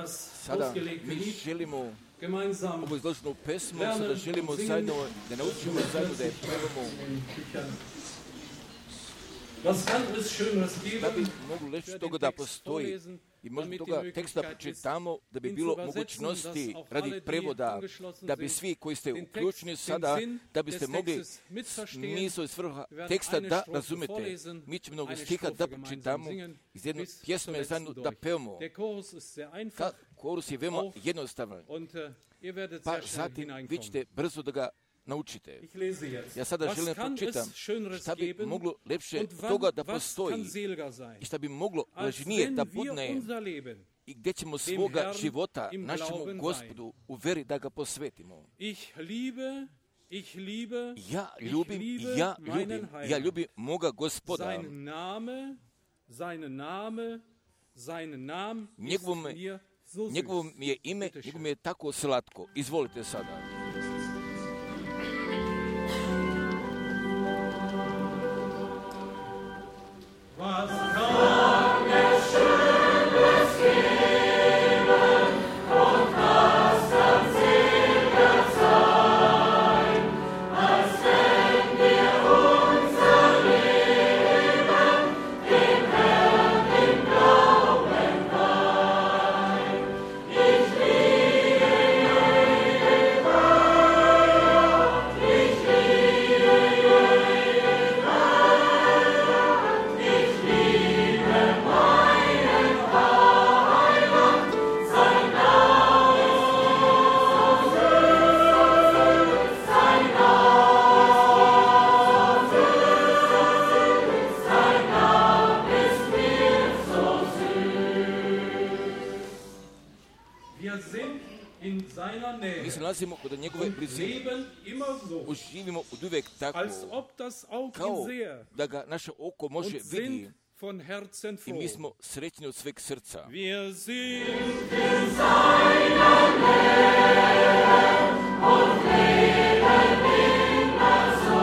Sada mi želimo ovu izloženu pesmu, sada želimo zajedno da naučimo zajedno da je pevamo. Da bi mogli reći toga da postoji i možda toga teksta čitamo da bi bilo mogućnosti radi prevoda, da bi svi koji ste uključeni sada, da biste mogli smisao i svrha teksta da razumete. Mi ćemo mnogo stiha da čitamo, iz jedne pjesme zajedno da pevamo. Korus je veoma jednostavan, pa zatim vi ćete brzo da ga naučite. Ja sada želim pročitam šta bi moglo lepše toga da postoji i šta bi moglo lažnije da budne i gdje ćemo svoga života našemu Gospodu u veri da ga posvetimo. Ja ljubim moga Gospoda. Njegovo mi je ime, njegovo mi je tako slatko. Izvolite sada. Was kann mir Schönes geben und was kann seliger sein, als wenn wir unser Leben dem Herrn im Glauben weihen. Ich liebe jeden Weiher, ich liebe jeden Weiher, ich liebe meinen Heiland, sein Name ist süß, sein Name ist mir so süß. Wir sind in seiner Mi Nähe se nalazimo kod njegove und blizine. leben immer so, Uživimo od uvek tako, als ob das Auge kao ihn sehe da ga naše oko može und vidi sind von Herzen i mi froh. smo srećni od sveg srca. Wir sind in seiner Nähe und leben immer so,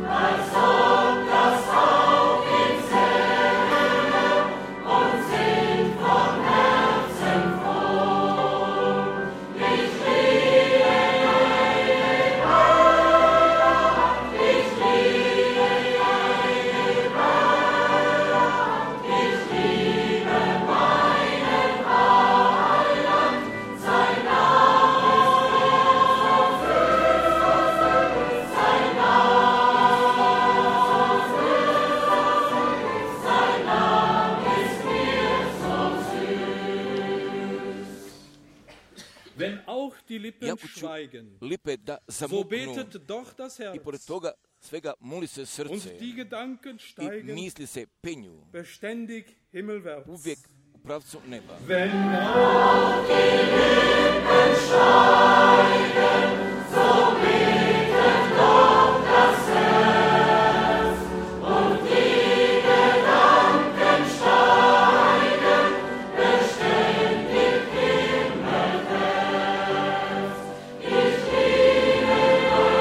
als ob das Auge ihn sähe und sind von Herzen froh. Ich liebe jeden Weiher, ich liebe jeden Weiher, ich liebe meinen Heiland, sein Name ist so süß, sein Name ist mir so süß. Wenn auch die Lippen Jako ću schweigen, lipe da so zamuknu betet doch das i Herz pored toga svega moli se und srce die Gedanken i steigen misli se penju beständig himmelwärts. uvijek u pravcu neba. Wenn auch die Lippen schweigen, so betet doch das Herz und die Gedanken steigen beständig himmelwärts. Ich liebe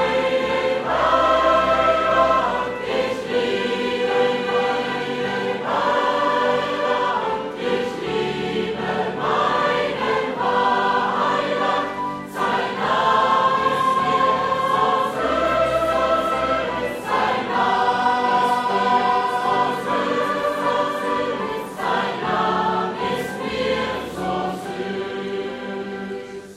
meinen Heiland, ich liebe meinen Heiland, ich liebe meinen Heiland, sein Name ist mir so süß, sein Name ist mir so süß.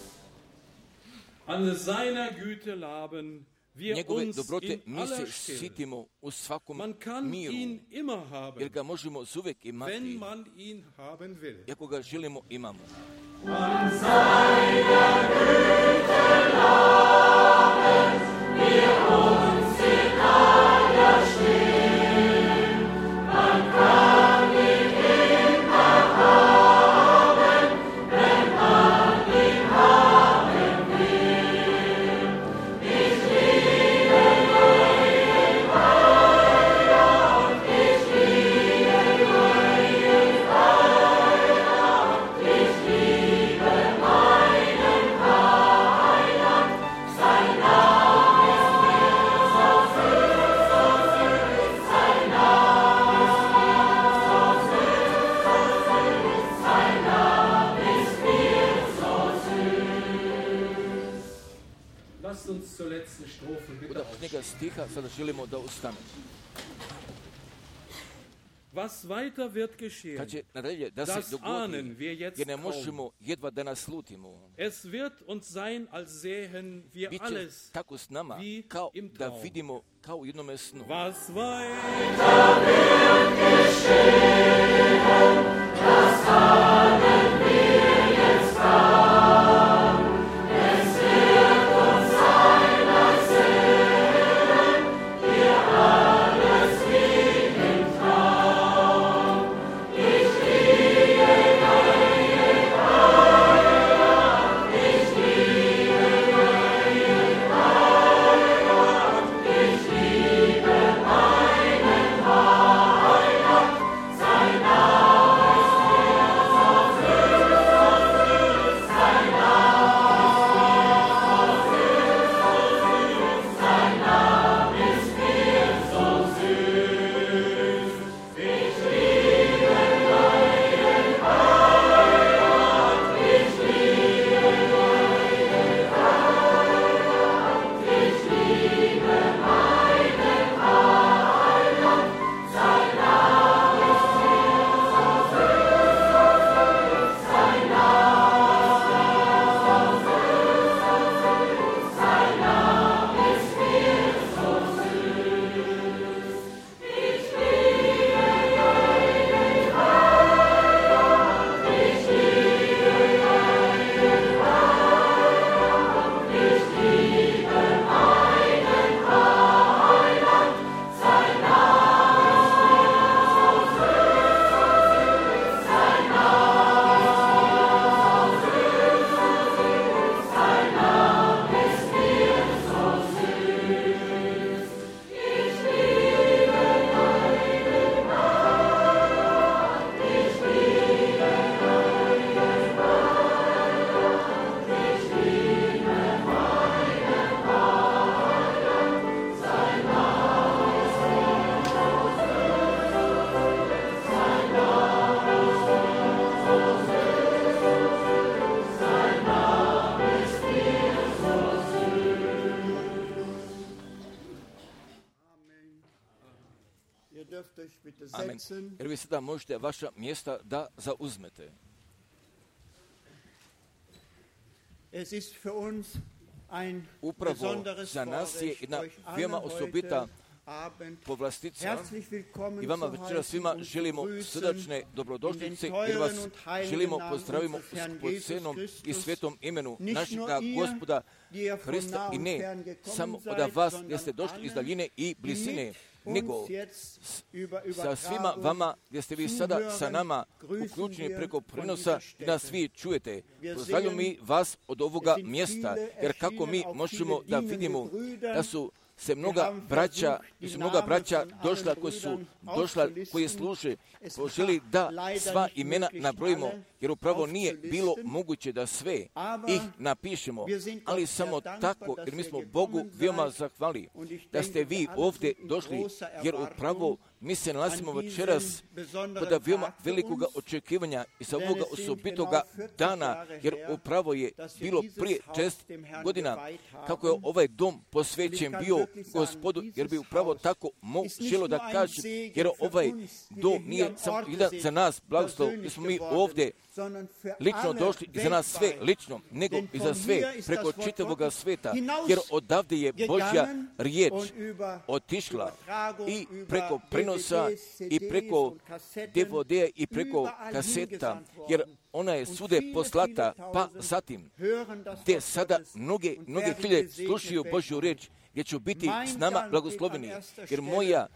An seiner Güte laben wir Njegove uns dobrote in mi se aller Stille. sitimo u svakom Man kann miru, ihn immer jer haben, ga možemo uvijek wenn imati, man ihn haben will. i ako ga želimo imamo. An seiner Güte laben wir uns in aller Stille. Man kann ihn immer haben, wenn man ihn haben will. Ich liebe meinen Heiland, ich liebe meinen Heiland, ich liebe meinen Heiland, dürfen. Bitte njega stiha sada želimo da ustanemo. Was weiter wird geschehen, Kad će nadalje da se das ahnen dogodi, wir jetzt jer ne kaum. možemo jedva da naslutimo. Es wird uns sein, als sähen wir Biće alles tako s nama, wie kao im da Traum. vidimo kao u jednome snu. Was weiter wird geschehen, das ahnen wir jetzt kaum. Es wird uns sein, als sähen wir alles wie im Traum. Ich liebe deinen Heiland, ich liebe deinen Heiland, ich liebe meinen Heiland, sein Name ist mir so süß, sein Name ist mir so süß, sein Name ist mir so süß. Ich liebe deinen Heiland, ich liebe deinen Heiland, ich liebe meinen Heiland, sein Name ist mir so süß, sein Name ist mir so süß, sein Name ist mir so süß. Ich liebe deinen Heiland, ich liebe deinen Heiland, ich liebe meinen Heiland, sein Name ist mir so süß, sein Name ist mir so süß, sein Name ist mir so süß. Ich liebe deinen Heiland, ich liebe deinen Heiland, ich liebe meinen Heiland, sein Name ist mir so süß, sein Name ist mir so süß, sein Name ist mir so Ihr dürft euch bitte Amen. setzen. Jer vi sada možete vaša mjesta da zauzmete. Es ist für uns ein Upravo besonderes za nas je Vorrecht, jedna euch veoma alle osobita heute Abend povlastica herzlich willkommen i vama zu večera svima heißen und želimo begrüßen srdačne in dobrodošlice den jer vas teuren und heiligen želimo Namen pozdravimo unseres Herrn po Jesus cenom i Christus. svetom imenu Nicht našega nur ihr, Gospoda die ihr von Hrista nah i und ne fern gekommen samo seid, od vas sondern gdje ste došli iz allen, daljine i die blizine, mit nego uns jetzt über sa svima Übertragung vama gdje ste vi sada sa nama grüßen uključeni wir preko von prenosa dieser i nas Stätte. vi čujete. Wir Pozdravljamo sehen, mi vas od ovoga es sind mjesta, viele jer kako erschienen, mi auch možemo viele da dienende vidimo Brüder. da su se Wir mnoga haben braća, versucht, da su die mnoga Namen braća von allen došla koji su Brüdern došla, aufzulisten. koji služe, Es poželi war da leider sva nicht imena möglich, nabrojimo, alle jer upravo nije aufzulisten. bilo moguće da sve Aber ih napišemo, wir sind ali Gott samo sehr dankbar, tako, dass jer mi ihr smo gekommen Bogu seid. veoma zahvali Und ich da denke, ste vi wir alle ovdje sind in došli, großer jer Erwartung upravo mi se nalazimo an večeras diesem besonderen kod veoma Tag für velikoga uns. očekivanja i sa Denn ovoga es sind osobitoga genau 40 dana, Jahre jer her, upravo je dass wir bilo dieses prije Haus 6 dem Herrn godina geweiht haben. kako je ovaj dom posvećen Und ich bio kann wirklich sagen, Gospodu, jer bi dieses upravo Haus tako ist nicht želo nur da ein kažem, Segen jer für ovaj uns, die dom wir hier nije am samo Orte jedan sind, za nas blagoslov, persönlich jer smo mi geworden, ovdje sondern für lično alle došli i za nas sve weltweit. lično, nego Denn i von za sve hier ist preko das Wort čitavoga Gottes sveta, hinaus jer odavde je Božja gegangen riječ und über otišla Übertragung, i über preko prenosa DVDs, i CDs preko und Kassetten DVD i preko überall kaseta, hingesandt jer worden. ona je Und svude viele, poslata, viele pa tausend zatim hören das gdje Wort sada Gottes mnoge und hiljade werden slušaju gesegnet Božju werden. riječ, gdje ću biti Mein s nama Dank blagosloveni, geht an erster jer Stelle moja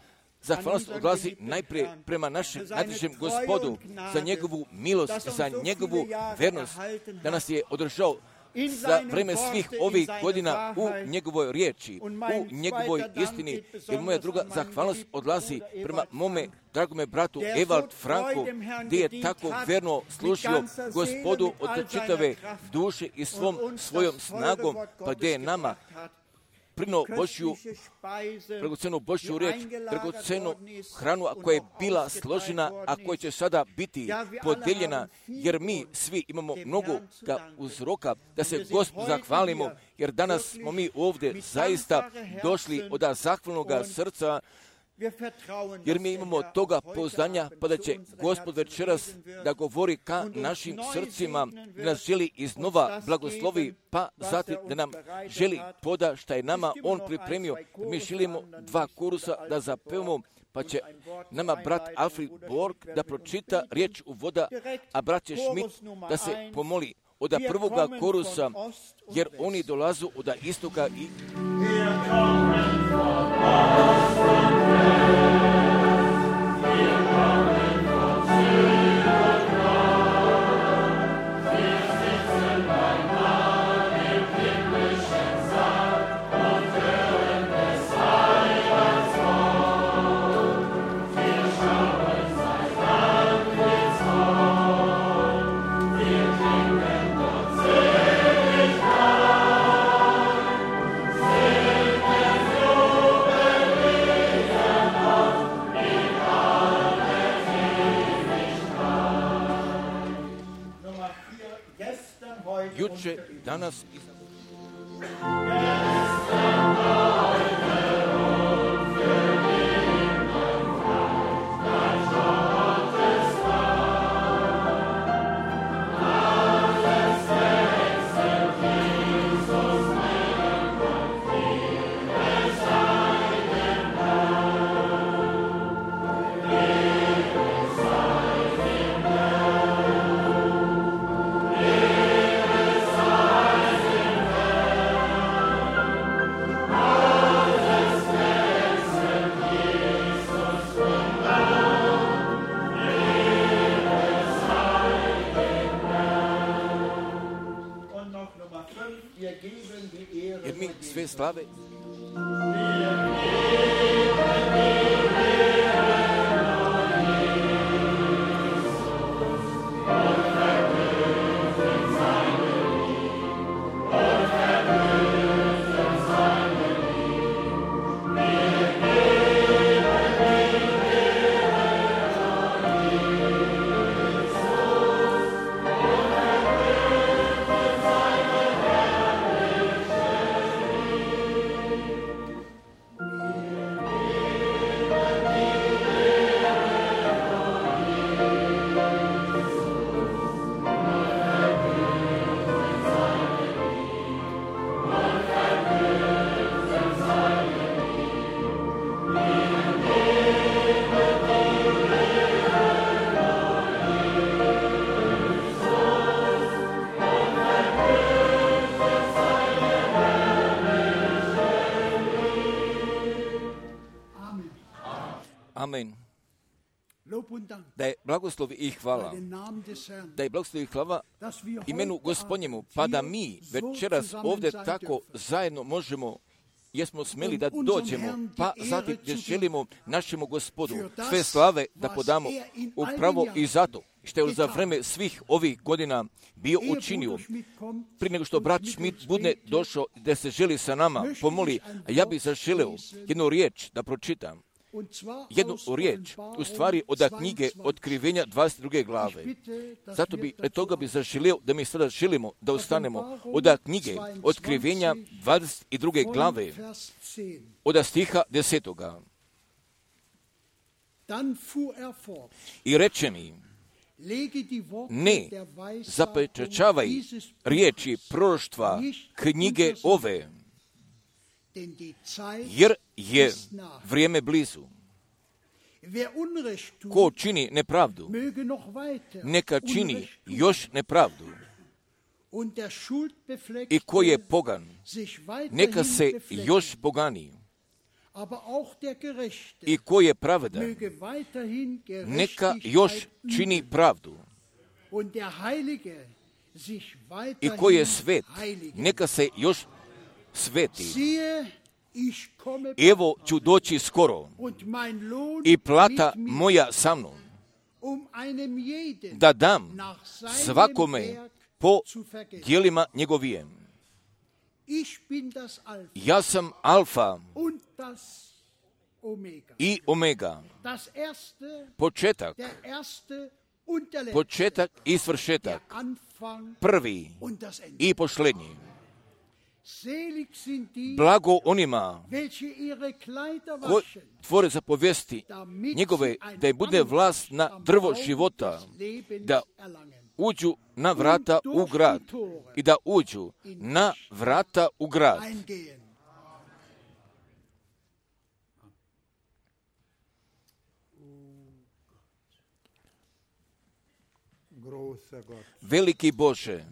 zahvalnost unseren odlazi geliebten najprije Herrn prema našem für seine najdražem Treue Gospodu, und Gnade, za njegovu milost, dass uns za so njegovu viele Jahre vernost, erhalten da nas je održao in za seinem vreme Worte, svih in ovih seiner godina u Wahrheit. njegovoj riječi, Und mein u njegovoj zweiter Dank istini, geht jer moja besonders druga an meinen zahvalnost geliebten odlazi Bruder prema Ewald mome Frank, dragome bratu der so Ewald treu Franku, dem Herrn gdje je gedient tako hat, verno mit služio ganzer Seele, Gospodu mit od all seiner čitave Kraft duše i und svojom uns das snagom, Wort pa gdje je Gottes nama gebracht hat. prinuo dragocenu Božju riječ, dragocenu hranu, a koja je bila složena, a koja će sada biti podijeljena, jer mi svi imamo mnogo uzroka da se Gospodu zahvalimo, jer danas smo mi ovdje zaista došli od zahvalnog srca, jer mi imamo toga pouzdanja, pa da će Gospod večeras da govori ka našim srcima, da nas želi iznova blagoslovi, pa zatim da nam želi poda šta je nama On pripremio. Mi želimo 2 korusa da zapevamo, pa će nama brat Alfred Borg da pročita riječ uvoda, a brat Schmidt da se pomoli od prvoga korusa, jer oni dolazu od istoka i... Juče, danas i jer mi sve slave Amen. Da je blagoslovi i hvala, da je blagoslovi i hvala imenu Gospodnjemu, pa da mi večeras ovdje tako zajedno možemo, jesmo smeli da dođemo, pa zatim gdje želimo našemu Gospodu sve slave da podamo upravo i zato što je za vreme svih ovih godina bio učinio. Prije nego što brat Schmidt bude došao da se želi sa nama pomoli, a ja bih zaželeo jednu riječ da pročitam. Jednu riječ, u stvari od knjige Otkrivenja 22. glave. Zato bi, toga bi zaželio da mi sada želimo da ustanemo od knjige Otkrivenja 22. glave, od stiha 10. I reče mi, ne zapečačavaj riječi proroštva knjige ove, jer je vrijeme blizu. Ko čini nepravdu, neka čini još nepravdu. I ko je pogan, neka se još pogani. I ko je pravedan, neka još čini pravdu. I ko je svet, neka se još sveti. Evo ću doći skoro i plata moja sa mnom, da dam svakome po djelima njegovijem. Ja sam Alfa i Omega, početak i svršetak, prvi i posljednji. Blago onima koji tvore zapovesti njegove, da je bude vlast na drvo života, da uđu na vrata u grad i da uđu na vrata u grad. Veliki Bože,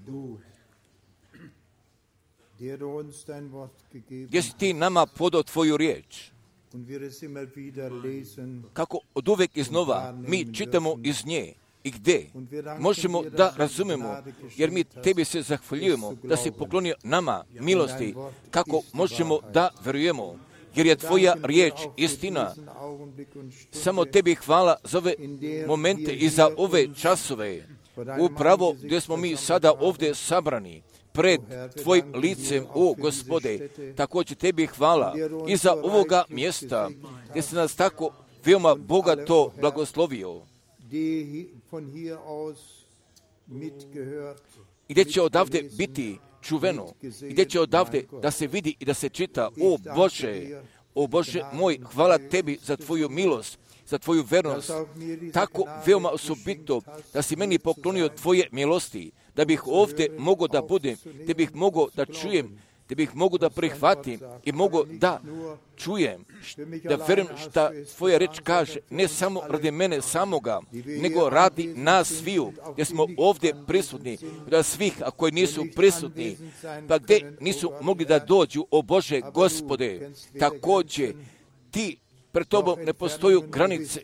gdje si ti nama podao tvoju riječ, kako od uvek iznova mi čitamo iz nje i gdje možemo da razumemo, jer mi tebi se zahvaljujemo da si poklonio nama milosti, kako možemo da verujemo, jer je tvoja riječ istina. Samo tebi hvala za ove momente i za ove časove, upravo gdje smo mi sada ovdje sabrani pred tvojim licem, o Gospode. Također tebi hvala i za ovoga mjesta gdje si nas tako veoma bogato blagoslovio, i gdje će odavde biti čuveno, i gdje će odavde da se vidi i da se čita. O Bože moj, hvala tebi za tvoju milost, za tvoju vernost, tako veoma osobito da si meni poklonio tvoje milosti, da bih ovdje mogao da budem, da bih mogao da čujem, da bih mogao da prihvatim i mogao da čujem, da verujem šta tvoja reč kaže, ne samo radi mene samoga, nego radi nas sviju, gdje smo ovdje prisutni, da svih, a koji nisu prisutni, pa gdje nisu mogli da dođu, o Bože Gospode, također ti pred tobom ne postoju granice,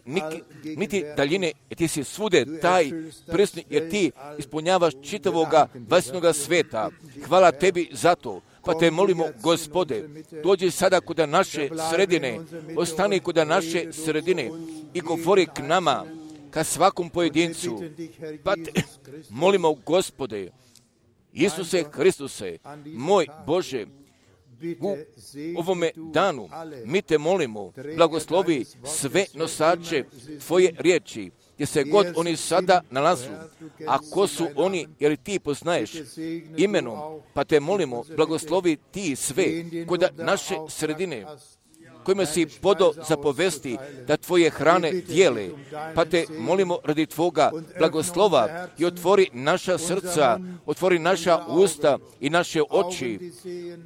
niti daljine, jer ti si svude taj prisutni, jer ti ispunjavaš čitavoga vasnoga sveta. Hvala tebi za to. Pa te molimo, Gospode, dođi sada kuda naše sredine, ostani kuda naše sredine i govori k nama, ka svakom pojedincu. Pa te molimo, Gospode, Isuse Hristuse, moj Bože, u ovome danu mi te molimo, blagoslovi sve nosače tvoje riječi, gdje se god oni sada nalazu, a ko su oni, jer ti poznaješ imenom, pa te molimo, blagoslovi ti sve kod naše sredine, kojima si podao zapovesti da tvoje hrane dijele, pa te molimo radi tvoga blagoslova i otvori naša srca, otvori naša usta i naše oči,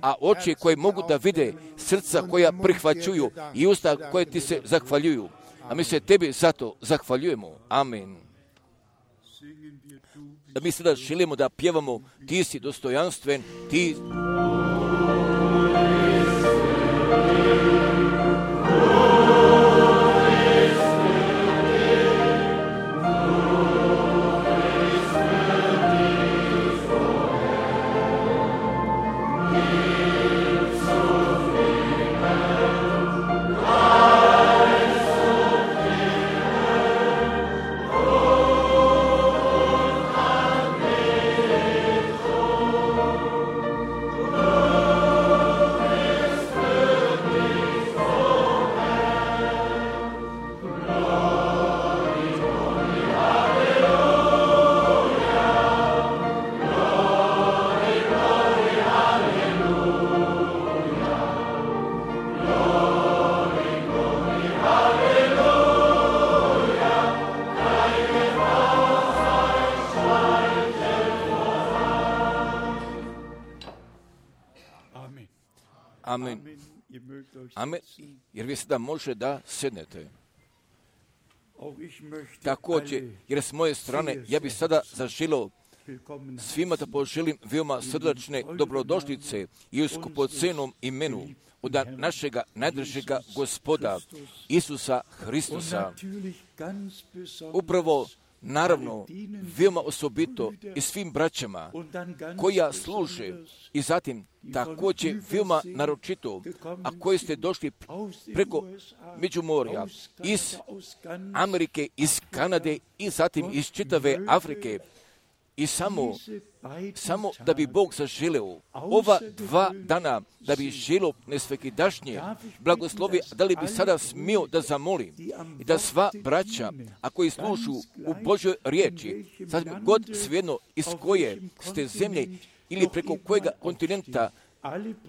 a oči koje mogu da vide, srca koja prihvaćuju i usta koje ti se zahvaljuju. A mi se tebi zato zahvaljujemo. Amen. Da mi sada želimo da pjevamo, ti si dostojanstven, ti... Amen. Amen. Jer vi sada može da sednete. Također, jer s moje strane, ja bih sada zaželio svima da poželim veoma srdačne dobrodošlice i u skupocenom imenu od našega najdražega Gospoda Isusa Hristusa. Upravo, naravno, veoma osobito i svim braćama koja služe i zatim također veoma naročito, a koji ste došli preko Međumorja, iz Amerike, iz Kanade i zatim iz čitave Afrike I samo da bi Bog zaželeo ova 2 dana, da bi želio nesvekidašnje blagoslovi, da li bi sada smio da zamolim i da sva braća, a koji slušu u Božoj riječi, sad god svejedno iz koje ste zemlje ili preko kojega kontinenta,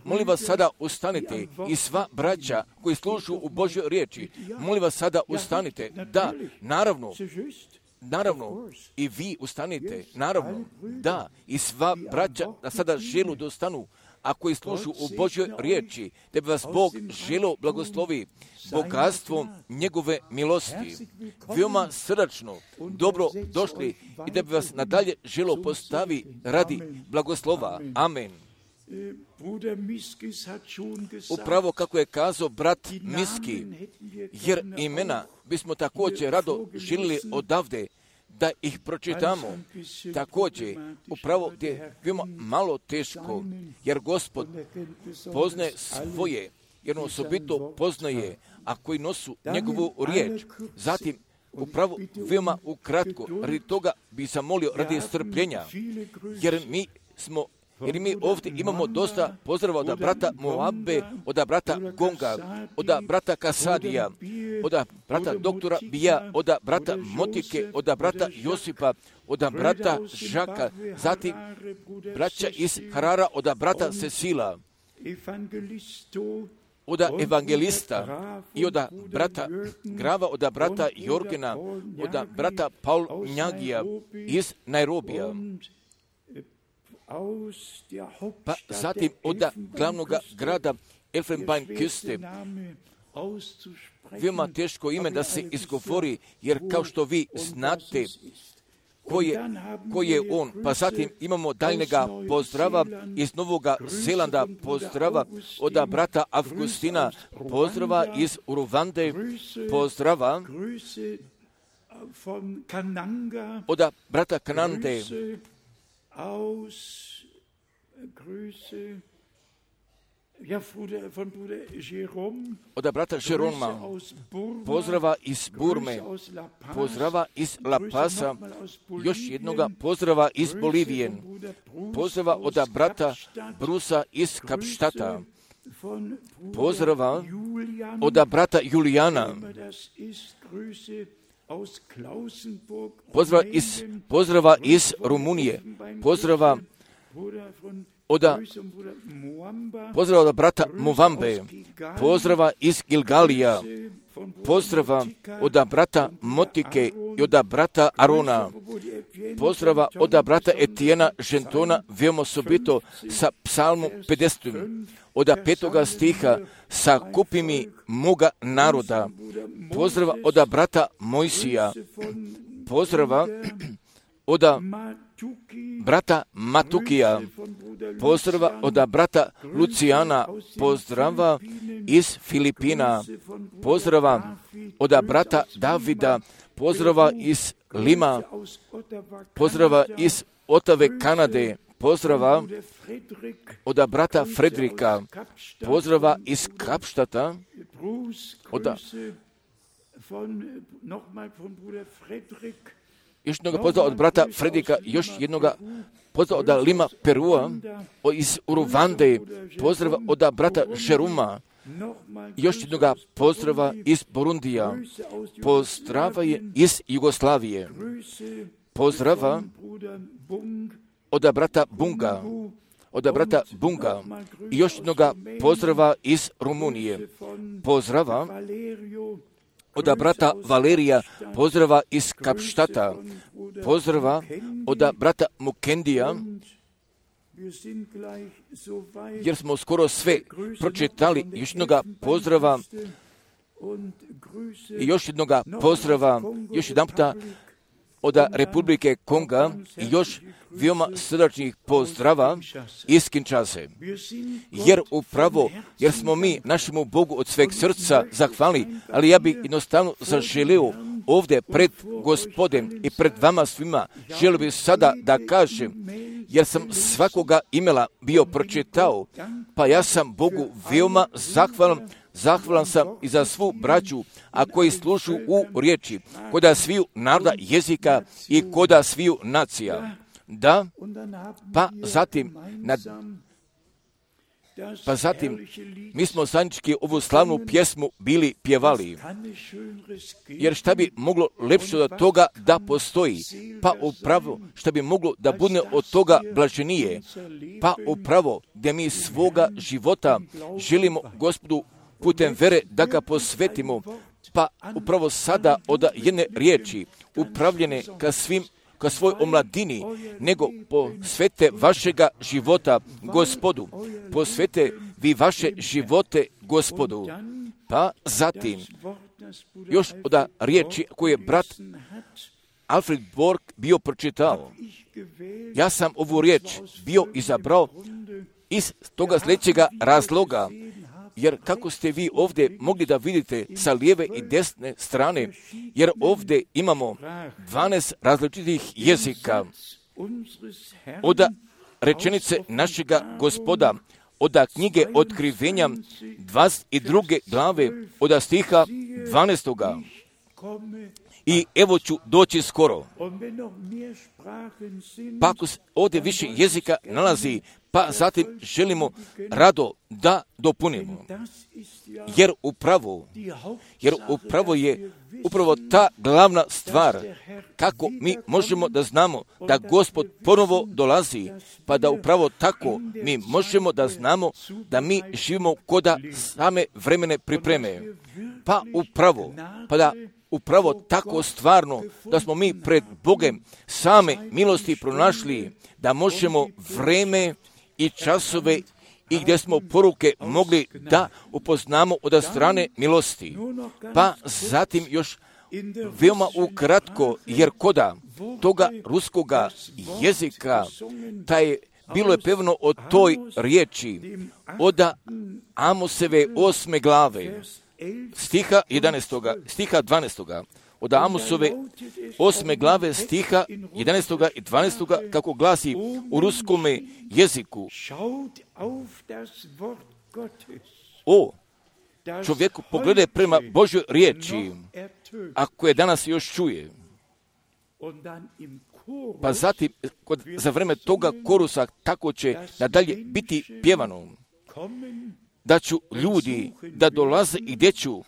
molim vas sada ustanite i sva braća koji slušu u Božoj riječi, molim vas sada ustanite. Da, naravno, i vi ustanite, naravno, da, i sva braća da sada želu da ustanu, a koji slušu u Božoj riječi, da bi vas Bog želio blagoslovi bogatstvom njegove milosti. Veoma srdačno, dobro došli i da bi vas nadalje želio postavi radi blagoslova. Amen. Upravo kako je kazao brat Miski, jer imena bismo također rado željeli odavde da ih pročitamo. Također, upravo je veoma malo teško, jer Gospod poznaje svoje, jer on osobito poznaje, a koji nosu njegovu riječ. Zatim, upravo veoma ukratko, radi toga bi zamolio radi strpljenja, jer mi ovdje imamo dosta pozdrava od brata Moabe, od brata Gonga, od brata Kasadija, od brata doktora Bija, od brata Motike, od brata Josipa, od brata Žaka, zatim braća iz Harara, od brata Cecila, od evangelista i od brata Grava, od brata Jorgena, od brata Paul Njagija iz Nairobija. Pa zatim od glavnog grada Elfenbeinküste, veoma teško ime da se izgovori, jer kao što vi znate ko je on. Pa zatim imamo daljnjega pozdrava iz Novog Zelanda, pozdrava od brata Avgustina, pozdrava iz Uruvande, pozdrava od brata Kanande, od brata Jeroma, pozdrava iz Burme, pozdrava iz La Pasa, još jednoga pozdrava iz Bolivije, pozdrava od brata Brusa iz Kapštata, pozdrava od brata Julijana, pozdrava iz Rumunije, pozdrava od brata Movambe, pozdrava iz Gilgalija, pozdrava od brata Motike i od brata Arona, pozdrava od brata Etijena Žentona, veoma osobito sa psalmom 50. od 5. stiha, sa kupimi moga naroda, pozdrava od brata Mojsija, pozdrava od brata Matukija, pozdrava od brata Lucijana, pozdrava iz Filipina, pozdrava od brata Davida, pozdrava iz Lima, pozdrava iz Otave, Kanade, pozdrava od brata Fredrika, pozdrava iz Kapštata, još jednoga pozdrava od brata Fredrika, još jednoga pozdrava od Lima, Perua, iz Uruvande, pozdrava od brata Žeruma, još jednoga pozdrava iz Burundija, pozdrava je iz Jugoslavije, pozdrava od brata Bunga, i još jednoga pozdrava iz Rumunije, pozdrava od brata Valerija, pozdrava iz Kapštata, pozdrava od brata Mukendija, jer smo skoro sve pročitali. Još jednoga pozdrava i još jednoga pozdrava, još jedan puta od Republike Konga i još veoma srdačnih pozdrava iz Kinshase. Jer smo mi našemu Bogu od sveg srca zahvalni, ali ja bih jednostavno zaželio ovdje pred Gospodem i pred vama svima, želio bih sada da kažem, jer sam svakoga imela bio pročitao, pa ja sam Bogu veoma zahvalan. Zahvalan sam i za svu braću, a koji slušu u riječi, koda sviju naroda jezika i koda sviju nacija. Da, pa zatim mi smo zajednički ovu slavnu pjesmu bili pjevali. Jer šta bi moglo lepše od toga da postoji? Pa upravo šta bi moglo da bude od toga blaženije? Pa upravo gdje mi svoga života želimo Gospodu putem vere da ga posvetimo. Pa upravo sada od jedne riječi upravljene ka svoj omladini, nego posvete vašega života Gospodu. Posvete vi vaše živote Gospodu. Pa zatim, još od riječi koju je brat Alfred Borg bio pročitao. Ja sam ovu riječ bio izabrao iz toga sljedećega razloga, jer kako ste vi ovdje mogli da vidite sa lijeve i desne strane, jer ovdje imamo 12 različitih jezika od rečenice našega Gospoda, od knjige Otkrivenja 22. glave, od stiha 12. I evo ću doći skoro. Pa ako ovdje više jezika nalazi, pa zatim želimo rado da dopunimo. Jer upravo je ta glavna stvar kako mi možemo da znamo da Gospod ponovo dolazi, pa da upravo tako mi možemo da znamo da mi živimo koda same vremene pripreme. Pa da upravo tako stvarno da smo mi pred Bogem same milosti pronašli, da možemo vreme i časove i gdje smo poruke mogli da upoznamo od strane milosti. Pa zatim još veoma ukratko, jer koda toga ruskoga jezika, bilo je pevno o toj riječi, od Amoseve 8. glave, stiha 12. Od Amosove 8. glave stiha 11. i 12. kako glasi u ruskome jeziku. O čovjeku, pogledaj prema Božjoj riječi, ako je danas još čuje. Pa zatim, za vreme toga korusa, tako će nadalje biti pjevano. Da ću ljudi da dolaze i gdje ću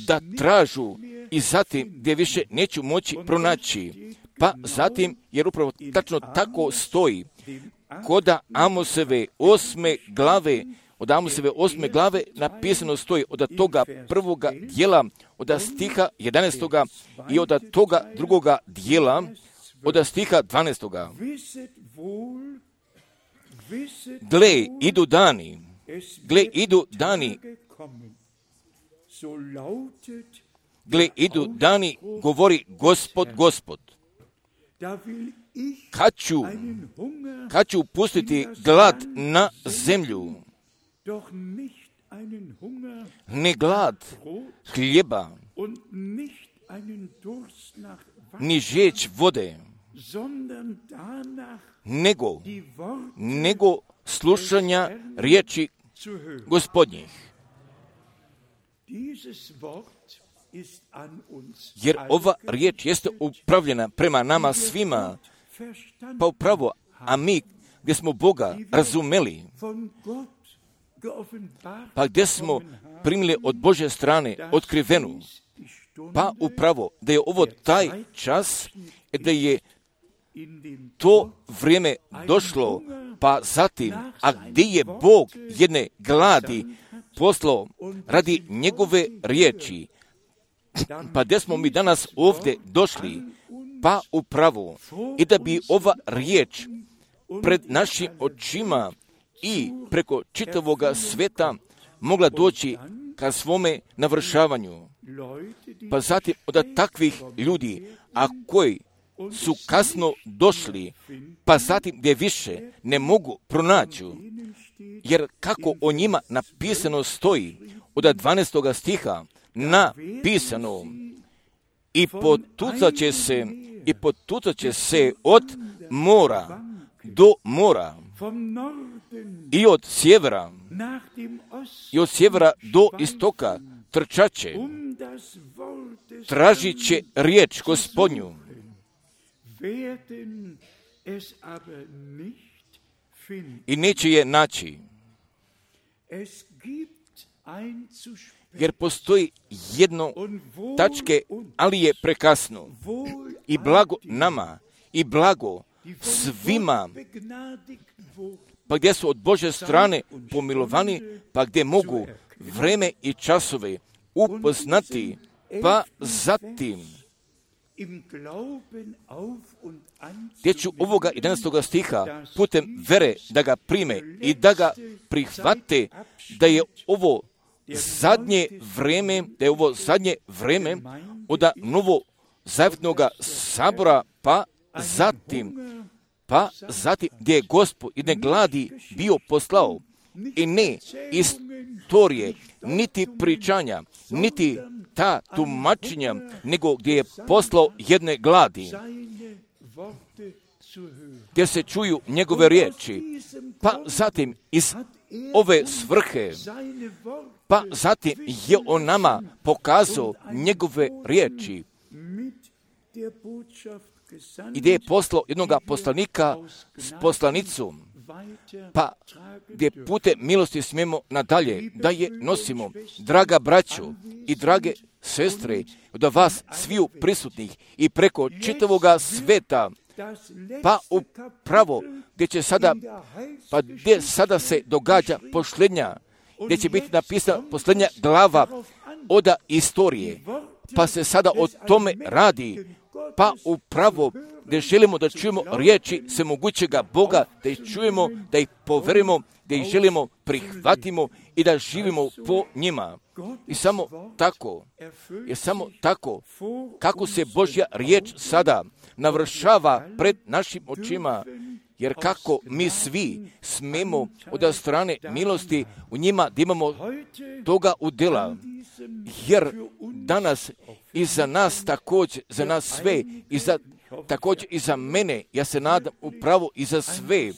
da tražu i zatim gdje više neću moći pronaći. Pa zatim, jer upravo tačno tako stoji, koda Amoseve 8. glave, od Amoseve 8. glave napisano stoji od toga prvoga dijela, od stiha 11. i od toga drugoga dijela, od stiha 12. Gle, idu dani, govori Gospod. Kad ću pustiti glad na zemlju, ne glad hljeba, ni žeđ vode, nego slušanja riječi Gospodnjih. Jer ova riječ jeste upravljena prema nama svima, pa upravo, a mi gdje smo Boga razumeli, pa gdje smo primili od Božje strane otkrivenu, pa upravo da je ovo taj čas, da je to vrijeme došlo, pa zatim, a gdje je Bog jedne gladi poslao radi njegove riječi, pa gdje smo mi danas ovdje došli, pa upravo i da bi ova riječ pred našim očima i preko čitavoga sveta mogla doći ka svome navršavanju. Pa zatim od takvih ljudi, a koji su kasno došli, pa zatim gdje više ne mogu pronaći, jer kako o njima napisano stoji, od 12. stiha napisano, i potucat će se od mora do mora, i od sjevera do istoka trčaće, tražit će riječ Gospodnju. i neće je naći. Jer postoji jedno tačke, ali je prekasno. I blago nama, i blago svima, pa gdje su od Božje strane pomilovani, pa gdje mogu vreme i časove upoznati, pa zatim gdje ću ovoga 11. stiha putem vere da ga prime i da ga prihvate, da je ovo zadnje vreme od novo zavjetnoga sabora, pa zatim gdje je Gospod jedne gladi bio poslao, i ne istorije, niti pričanja, niti ta tumačenja, nego gdje je poslao jedne gladi, gdje se čuju njegove riječi, pa zatim iz ove svrhe, pa zatim je on nama pokazao njegove riječi, i gdje je poslao jednoga poslanika s poslanicom, pa gdje putem milosti smijemo nadalje da je nosimo. Draga braćo i drage sestre, od vas sviju prisutnih i preko čitavoga sveta, pa upravo gdje sada se događa posljednja, gdje će biti napisana posljednja glava od istorije, pa se sada o tome radi, pa upravo gdje želimo da čujemo riječi svemogućega Boga, da ih čujemo, da ih poverimo, da ih želimo prihvatimo i da živimo po njima. I samo tako, kako se Božja riječ sada navršava pred našim očima, jer kako mi svi smemo od strane milosti u njima da imamo toga udjela, jer danas i za nas također, za nas sve, također i za mene, ja se nadam upravo i za sve,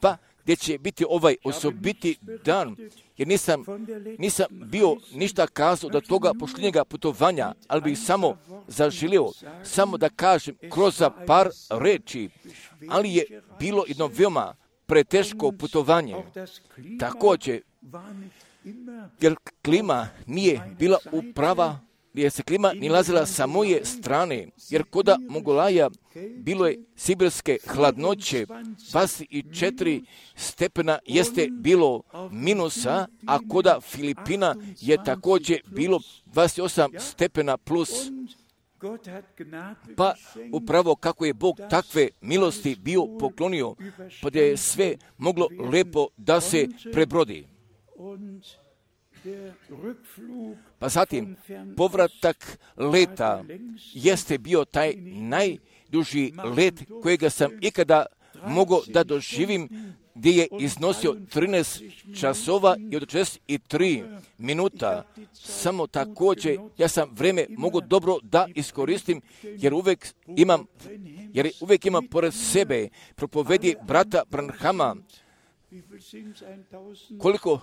pa gdje će biti ovaj osobiti dan, jer nisam bio ništa kazao do toga posljednjega putovanja, ali bih samo zaželio, samo da kažem kroz par reči, ali je bilo jedno veoma preteško putovanje. Također, jer klima nije bila uprava, jer se klima nalazila sa moje strane, jer koda Mongolaja bilo je sibirske hladnoće, 24 stepena jeste bilo minusa, a koda Filipina je također bilo 28 stepena plus. Pa upravo kako je Bog takve milosti bio poklonio, pa da je sve moglo lepo da se prebrodi. Pa zatim, povratak leta jeste bio taj najduži let kojega sam ikada mogao da doživim, gdje je iznosio 13 časova i 43 minuta. Samo također, ja sam vreme mogu dobro da iskoristim, jer uvijek imam pored sebe propovedi brata Branhama. Koliko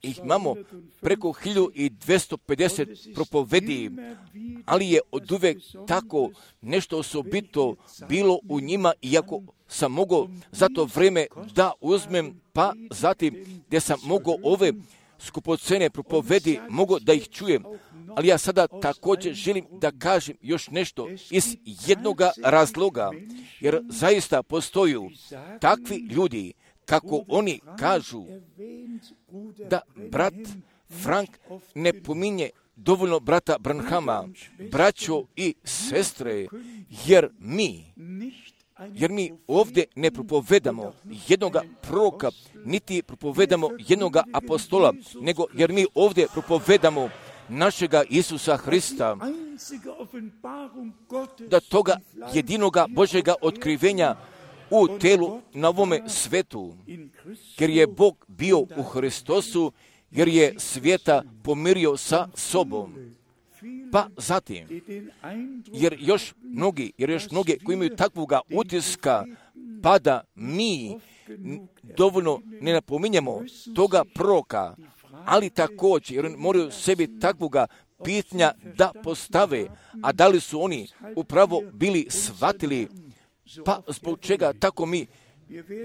ih imamo? Preko 1250 propovedi, ali je od uvijek tako nešto osobito bilo u njima, iako sam mogao za to vrijeme da uzmem, pa zatim gdje sam mogao ove skupocene propovedi, mogao da ih čujem. Ali ja sada također želim da kažem još nešto iz jednoga razloga, jer zaista postoju takvi ljudi, kako oni kažu da brat Frank ne pominje dovoljno brata Branhama, braćo i sestre, jer mi ovdje ne propovedamo jednoga proroka, niti propovedamo jednoga apostola, nego jer mi ovdje propovedamo našega Isusa Hrista, da toga jedinoga Božjega otkrivenja u telu na ovome svetu, jer je Bog bio u Hristosu, jer je svijeta pomirio sa sobom. Pa zatim, jer još mnogi koji imaju takvoga utiska, pa da mi dovoljno ne napominjemo toga proroka, ali također, jer oni moraju sebi takvoga pitanja da postave, a da li su oni upravo bili shvatili Pa zbog čega tako mi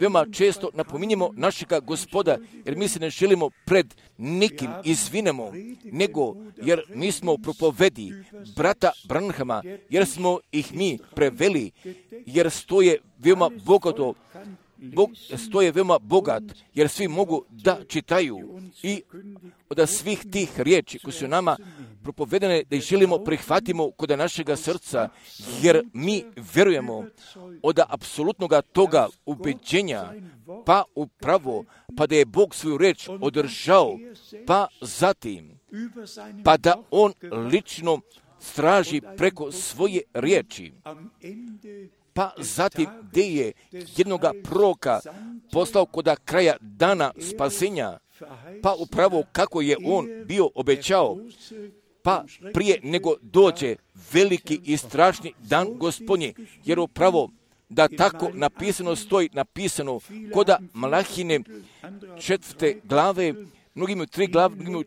veoma često napominjemo našega Gospoda, jer mi se ne želimo pred nikim izvinemo, nego jer mi smo propovedi brata Branhama, jer smo ih mi preveli, jer stoje veoma bogato, stoje veoma bogat, jer svi mogu da čitaju i od svih tih riječi koje su nama propovedene, da ih želimo prihvatimo kod našega srca, jer mi verujemo od apsolutnog toga ubeđenja, pa upravo, pa da je Bog svoju reč održao, pa zatim, pa da On lično straži preko svoje riječi, pa zatim gdje je jednoga proroka poslao kod kraja dana spasenja, pa upravo kako je on bio obećao, pa prije nego dođe veliki i strašni dan Gospodnji, jer upravo da tako napisano stoji, napisano koda Malahine 4. glave, mnogi imaju 3 glave, mnogi imaju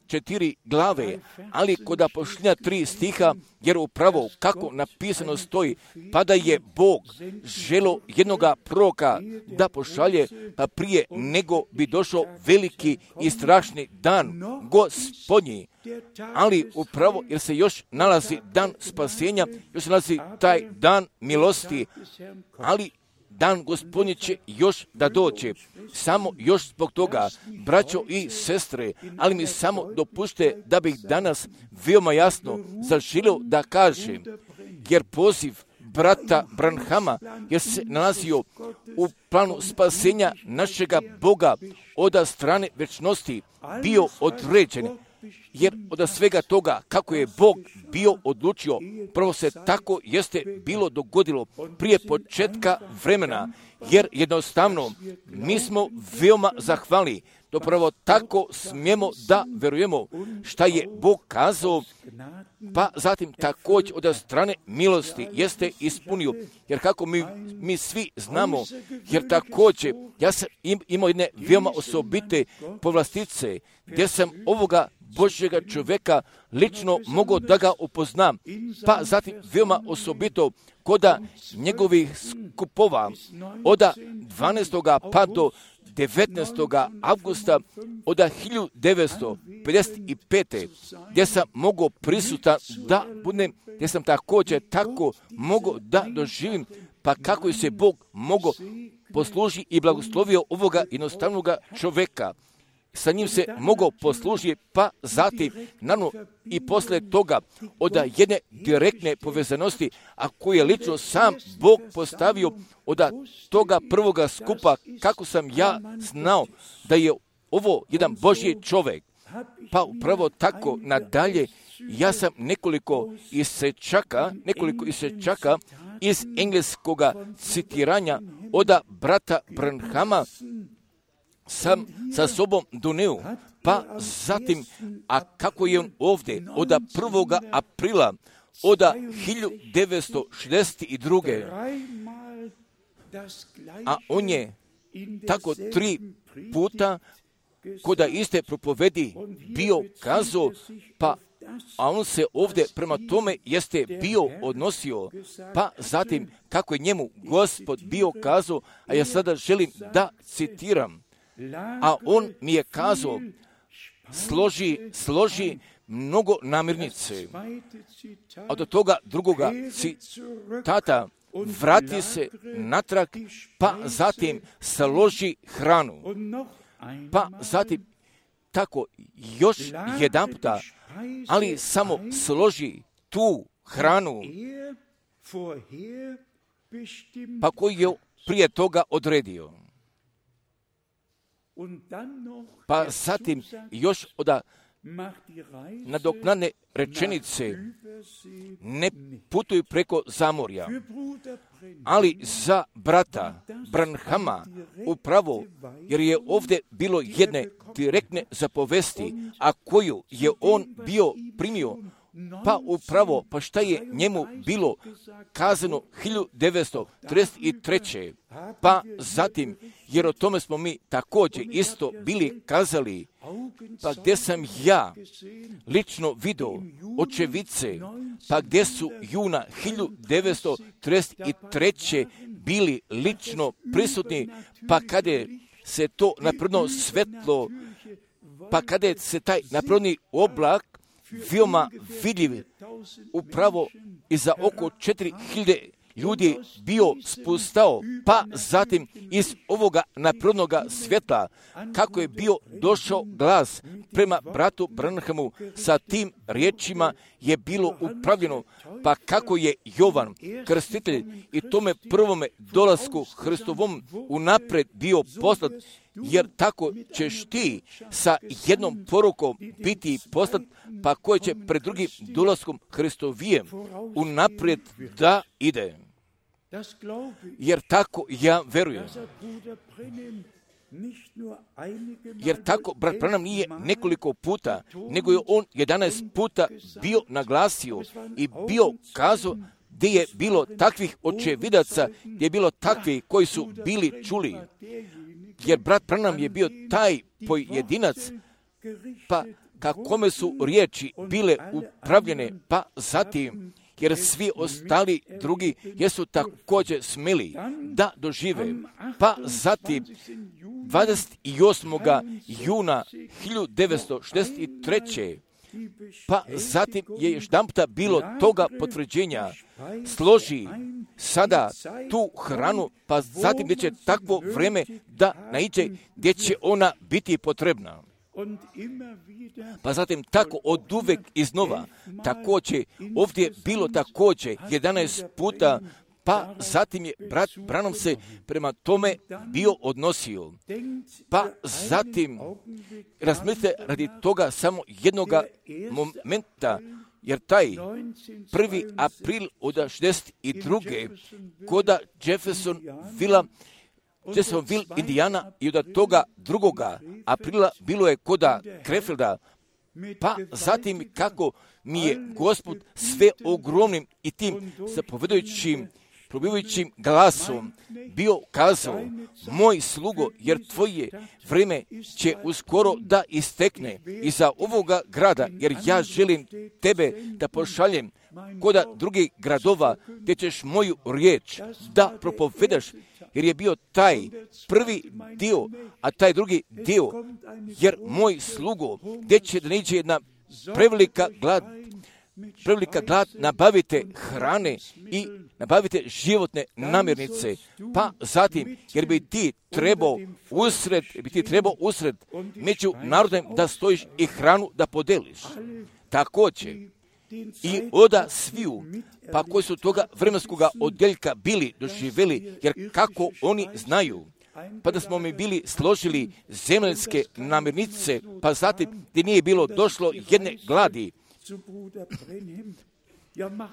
4 glave, ali koda pošljenja 3 stiha, jer upravo kako napisano stoji, pa da je Bog želo jednoga proroka da pošalje, pa prije nego bi došao veliki i strašni dan Gospodnji. Ali upravo jer se još nalazi dan spasenja, još se nalazi taj dan milosti, ali dan Gospodnji će još da dođe. Samo još zbog toga, braćo i sestre, ali mi samo dopušte da bih danas veoma jasno zaželio da kažem, jer poziv brata Branhama, jer se nalazio u planu spasenja našega Boga od strane večnosti, bio određen. Jer od svega toga, kako je Bog bio odlučio, prvo se tako jeste bilo dogodilo prije početka vremena, jer jednostavno mi smo veoma zahvalni, to prvo tako smijemo da verujemo šta je Bog kazao, pa zatim također od strane milosti jeste ispunio, jer kako mi svi znamo, jer također ja sam imao jedne veoma osobite povlastice, gdje sam ovoga Božjega čovjeka lično mogao da ga upoznam, pa zatim veoma osobito koda njegovih skupova od 12. pa do 19. avgusta od 1955. gdje sam mogao prisutan da budem, gdje sam također tako mogao da doživim, pa kako je se Bog mogao posluži i blagoslovio ovoga jednostavnog čovjeka. Sa njim se mogao poslužiti, pa zatim, naravno, i posle toga od jedne direktne povezanosti, a koju je lično sam Bog postavio od toga prvoga skupa, kako sam ja znao da je ovo jedan Božji čovjek. Pa upravo tako nadalje, ja sam nekoliko isečaka iz engleskoga citiranja od brata Branhama sam sa sobom doneo, pa zatim, a kako je on ovdje od 1. aprila od 1962. A on je tako 3 puta koda iste propovedi bio kazao, pa a on se ovdje prema tome jeste bio odnosio, pa zatim kako je njemu Gospod bio kazao, a ja sada želim da citiram, a on mi je kazao, složi mnogo namirnice. A do toga drugoga citata, vrati se natrag, pa zatim složi hranu. Pa zatim tako još jedan puta, ali samo složi tu hranu, pa koji je prije toga odredio. Pa zatim još od nadoknadne rečenice, ne putuju preko zamorja, ali za brata Branhama upravo, jer je ovdje bilo jedne direktne zapovesti, a koju je on bio primio, pa upravo, pa šta je njemu bilo kazano 1933. Pa zatim, jer o tome smo mi također isto bili kazali, pa gdje sam ja lično vidio očevice pa gdje su juna 1933. bili lično prisutni, pa kada se to napredno svetlo, pa kada se taj napredni oblak veoma vidljiv, upravo iza oko 4000 ljudi bio spustao, pa zatim iz ovoga naprednoga svjetla, kako je bio došao glas prema bratu Branhamu, sa tim riječima je bilo upravljeno, pa kako je Jovan krstitelj i tome prvome dolasku Hristovom unaprijed bio poslat, jer tako ćeš ti sa jednom porukom biti poslat, pa koje će pred drugim dolaskom Hristovijem unaprijed da ide. Jer tako ja verujem. Jer tako brat Branham nije nekoliko puta, nego je on 11 puta bio naglasio i bio kazao gdje je bilo takvih očevidaca, gdje je bilo takvi koji su bili čuli. Jer brat Branham je bio taj pojedinac, pa kakome su riječi bile upravljene, pa zatim, jer svi ostali drugi jesu također smeli da dožive. Pa zatim 28. juna 1963. pa zatim je još jedanputa bilo toga potvrđenja. Složi sada tu hranu, pa zatim gdje će takvo vrijeme da naiđe, gdje će ona biti potrebna. Pa zatim tako od uvek iznova, također ovdje bilo također 11 puta, pa zatim je brat Branham se prema tome bio odnosio. Pa zatim razmislite radi toga samo jednoga momenta, jer taj 1. april od 62. koda Jeffersonville, Indijana, i od toga 2. aprila bilo je koda Krefelda, pa zatim kako mi je Gospod sve ogromnim i tim zapovedajućim, probivajućim glasom bio kazao: moj slugo, jer tvoje vrijeme će uskoro da istekne iza ovoga grada, jer ja želim tebe da pošaljem koda drugih gradova, gdje ćeš moju riječ da propovedaš, jer je bio taj prvi dio, a taj drugi dio, jer moj slugo, gdje će da niđe jedna prevelika glad, nabavite hrane i nabavite životne namirnice, pa zatim, jer bi ti trebao usred među narodem da stojiš i hranu da podeliš. Također, i oda sviju, pa koji su toga vremenskog odjeljka bili doživjeli, jer kako oni znaju, pa da smo mi bili složili zemaljske namirnice, pa zatim gdje nije bilo došlo jedne gladi,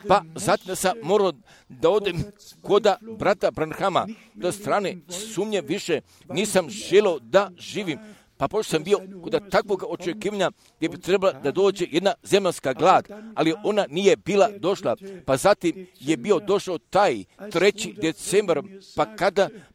pa zatim sam morao da odem koda brata Branhama, do strane sumnje više nisam želio da živim, pa pošto sam bio kod takvog očekivanja gdje bi trebala da dođe jedna zemaljska glad, ali ona nije bila došla, pa zatim je bio došao taj 3. decembar,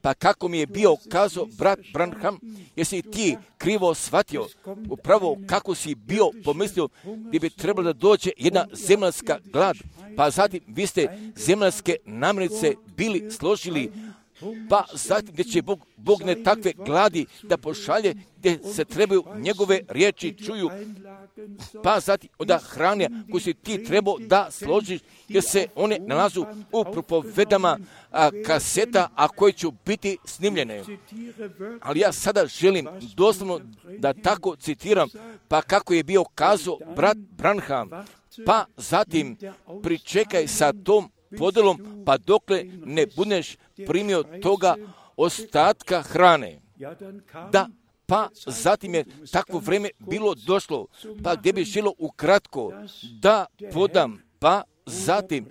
pa kako mi je bio kazao brat Branham, jesi ti krivo shvatio, upravo kako si bio pomislio gdje bi trebalo da dođe jedna zemaljska glad, pa zatim vi ste zemaljske namirnice bili složili, pa zatim gdje će Bog ne takve gladi da pošalje, gdje se trebaju njegove riječi čuju, pa zatim onda hrane koju si ti trebao da složiš, jer se one nalazu u propovedama kaseta, a koje će biti snimljene. Ali ja sada želim doslovno da tako citiram, pa kako je bio kazao brat Branham, pa zatim pričekaj sa tom podelom, pa dokle ne budeš primio toga ostatka hrane. Da, pa zatim je takvo vrijeme bilo došlo, pa gdje bi želo ukratko da podam, pa zatim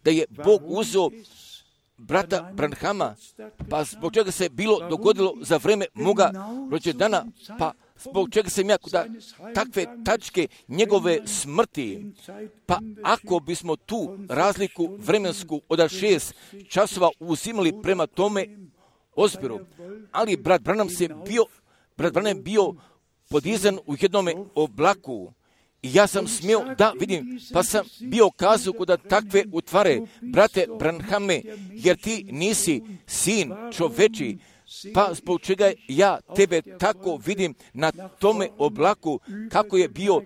da je Bog uzeo brata Branhama, pa zbog čega se bilo dogodilo za vrijeme moga rođendana, pa zbog čega sam ja kod takve tačke njegove smrti, pa ako bismo tu razliku vremensku od 6 časova uzimali prema tome ozbiru, ali brat Branham je bio podizan u jednome oblaku ja sam smio da vidim, pa sam bio kazao kuda takve utvare, brate Branhame, jer ti nisi sin čoveči, pa zbog čega ja tebe tako vidim na tome oblaku, kako je bio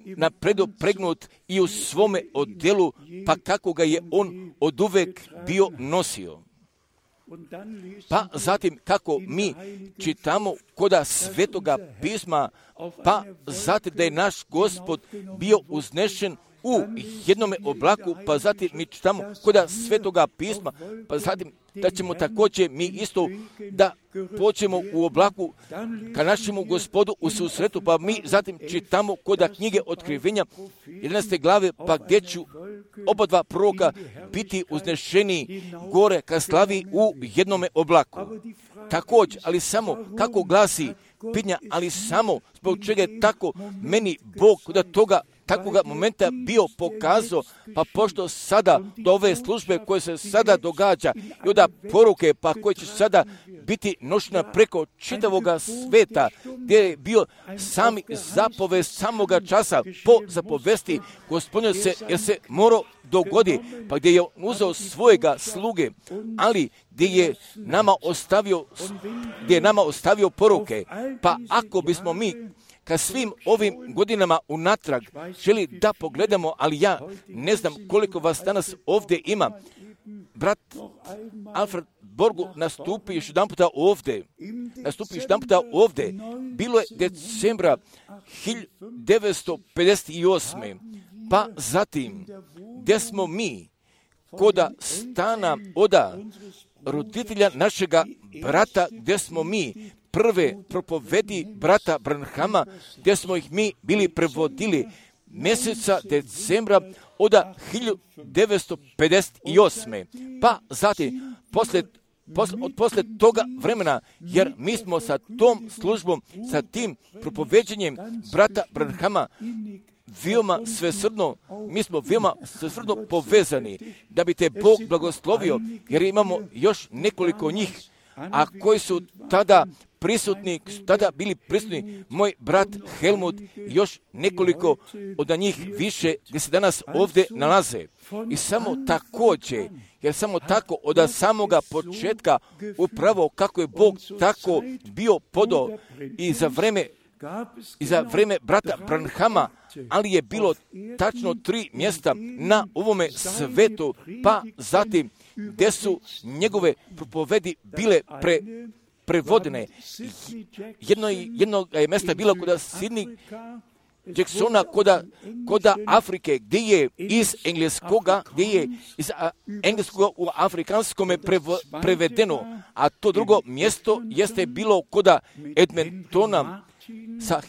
napredopregnut i u svome odjelu, pa kako ga je on oduvek bio nosio. Pa zatim kako mi čitamo koda Svetoga pisma, pa zatim da je naš Gospod bio uznešen u jednome oblaku, pa zatim mi čitamo koda Svetoga pisma, pa zatim da ćemo također mi isto da poćemo u oblaku ka našemu Gospodu u susretu, pa mi zatim čitamo koda knjige Otkrivenja 11. glave, pa gdje ću oba dva proroka biti uznešeni gore ka slavi u jednome oblaku. Također, ali samo kako glasi pitanja, ali samo zbog čega je tako meni Bog da toga takvoga momenta bio pokazao, pa pošto sada do ove službe koje se sada događa i od poruke, pa koje će sada biti nošena preko čitavoga sveta, gdje je bio sami zapovest samoga časa po zapovesti Gospodinu se, jer se morao dogodi, pa gdje je uzeo svojega sluge, ali gdje je nama ostavio poruke, pa ako bismo mi ka svim ovim godinama unatrag želi da pogledamo, ali ja ne znam koliko vas danas ovdje ima. Brat Alfred Borgu nastupi još jedan puta ovdje. Bilo je decembra 1958. Pa zatim, gdje smo mi koda stana oda roditelja našega brata, gdje smo mi prve propovedi brata Branhama, gdje smo ih mi bili prevodili mjeseca decembra od 1958. Pa zatim, posle toga vremena, jer mi smo sa tom službom, sa tim propoveđenjem brata Branhama veoma svesrdno povezani, da bi te Bog blagoslovio, jer imamo još nekoliko njih, a koji su tada bili prisutni, moj brat Helmut, još nekoliko od njih više, gdje se danas ovdje nalaze. I samo također, jer samo tako od samoga početka, upravo kako je Bog tako bio podao i za vrijeme brata Branhama, ali je bilo tačno 3 mjesta na ovome svetu, pa zatim gdje su njegove propovedi bile prevodene. Jedno je mjesta bilo kod Sidney Jacksona, koda Afrike, gdje je iz engleskoga u afrikanskome prevedeno, a to drugo mjesto jeste bilo koda Edmontona sa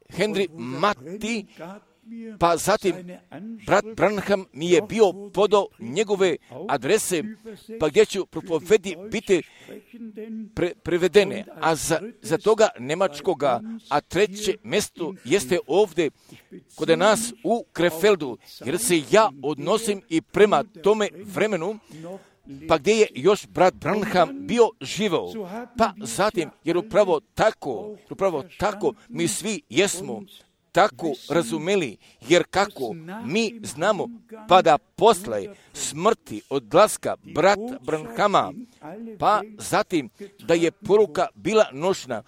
Henry Matti, pa zatim brat Branham mi je bio podao njegove adrese, pa gdje ću propovedi biti prevedene, a za toga njemačkoga, a treće mjesto jeste ovdje kod nas u Krefeldu, jer se ja odnosim i prema tome vremenu, pa gdje je još brat Branham bio živao. Pa zatim, jer upravo tako mi svi jesmo tako razumeli, jer kako mi znamo, pa da posle smrti odlaska brata Branhama, pa zatim da je poruka bila nošna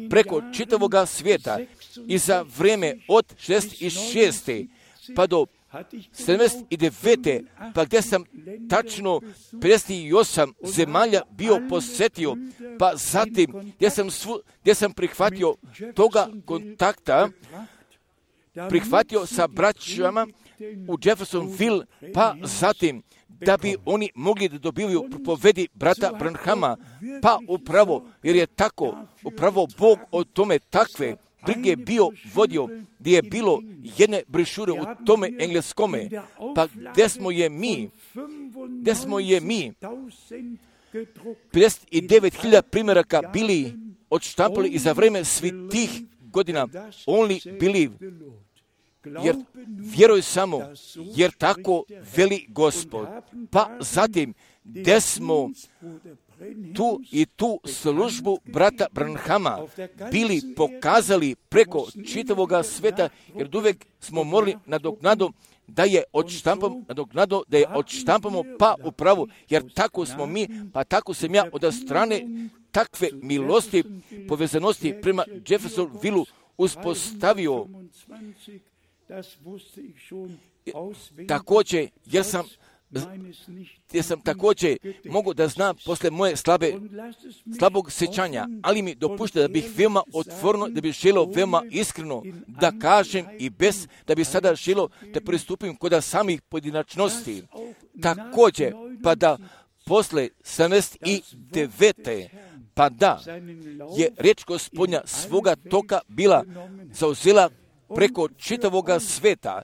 preko čitavoga svijeta i za vrijeme od 66. pa do 79. pa gdje sam tačno 58 zemalja bio posjetio, pa zatim gdje sam prihvatio toga kontakta, prihvatio sa braćama u Jeffersonville, pa zatim da bi oni mogli da dobiju propovedi brata Branhama, pa upravo, jer je tako, upravo Bog o tome takve brige bio vodio, gdje je bilo jedne brišure u tome engleskome, pa gdje smo je mi 59.000 primjeraka bili odštampali i za vrijeme svih tih godina only believe, jer vjeruj samo, jer tako veli Gospod. Pa zatim, gdje smo tu službu brata Branhama bili pokazali preko čitavoga sveta, jer uvijek smo morali nadoknadu da je odštampamo pa upravo, jer tako smo mi, pa tako sam ja od strane takve milosti, povezanosti prema Jeffersonville uspostavio. Također, jer sam također mogu da znam posle moje slabog sjećanja, ali mi dopušta da bih veoma otvoreno, da bih želio veoma iskreno da kažem i bez da bi sada želio da pristupim kod samih pojedinačnosti. Također, pa da posle 79. pa da je riječ Gospodnja svoga toka bila zauzela preko čitavoga sveta,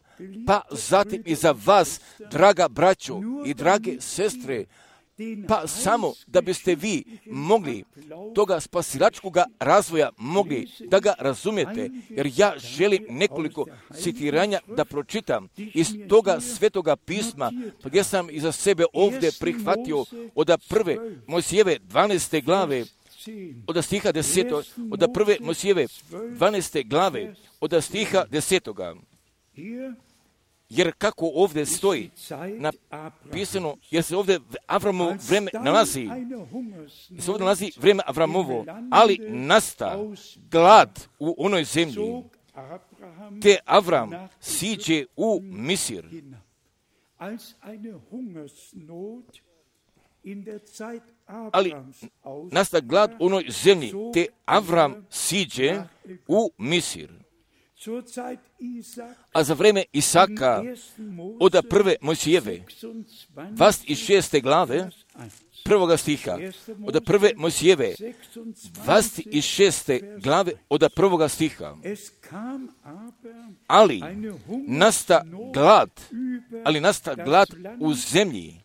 pa zatim i za vas, draga braćo i drage sestre, pa samo da biste vi mogli toga spasilačkoga razvoja mogli da ga razumijete, jer ja želim nekoliko citiranja da pročitam iz toga svetoga pisma, gdje sam iza sebe ovdje prihvatio od prve Mojsijeve 12. glave, od stiha 10. od prve Mojsijeve 12. glave, od stiha 10. Jer kako ovdje stoji napisano, jer se ovdje Avramovo vreme nalazi, vrijeme Avramovo, ali nasta glad u onoj zemlji, te Avram siđe u Misir. Ali nasta glad u onoj zemlji, te Avram siđe u Misir. A za vrijeme Isaka, od prve Mojsijeve, 26. glave, prvoga stiha, od prve Mojsijeve, 26. glave, od prvoga stiha. Ali nasta glad u zemlji,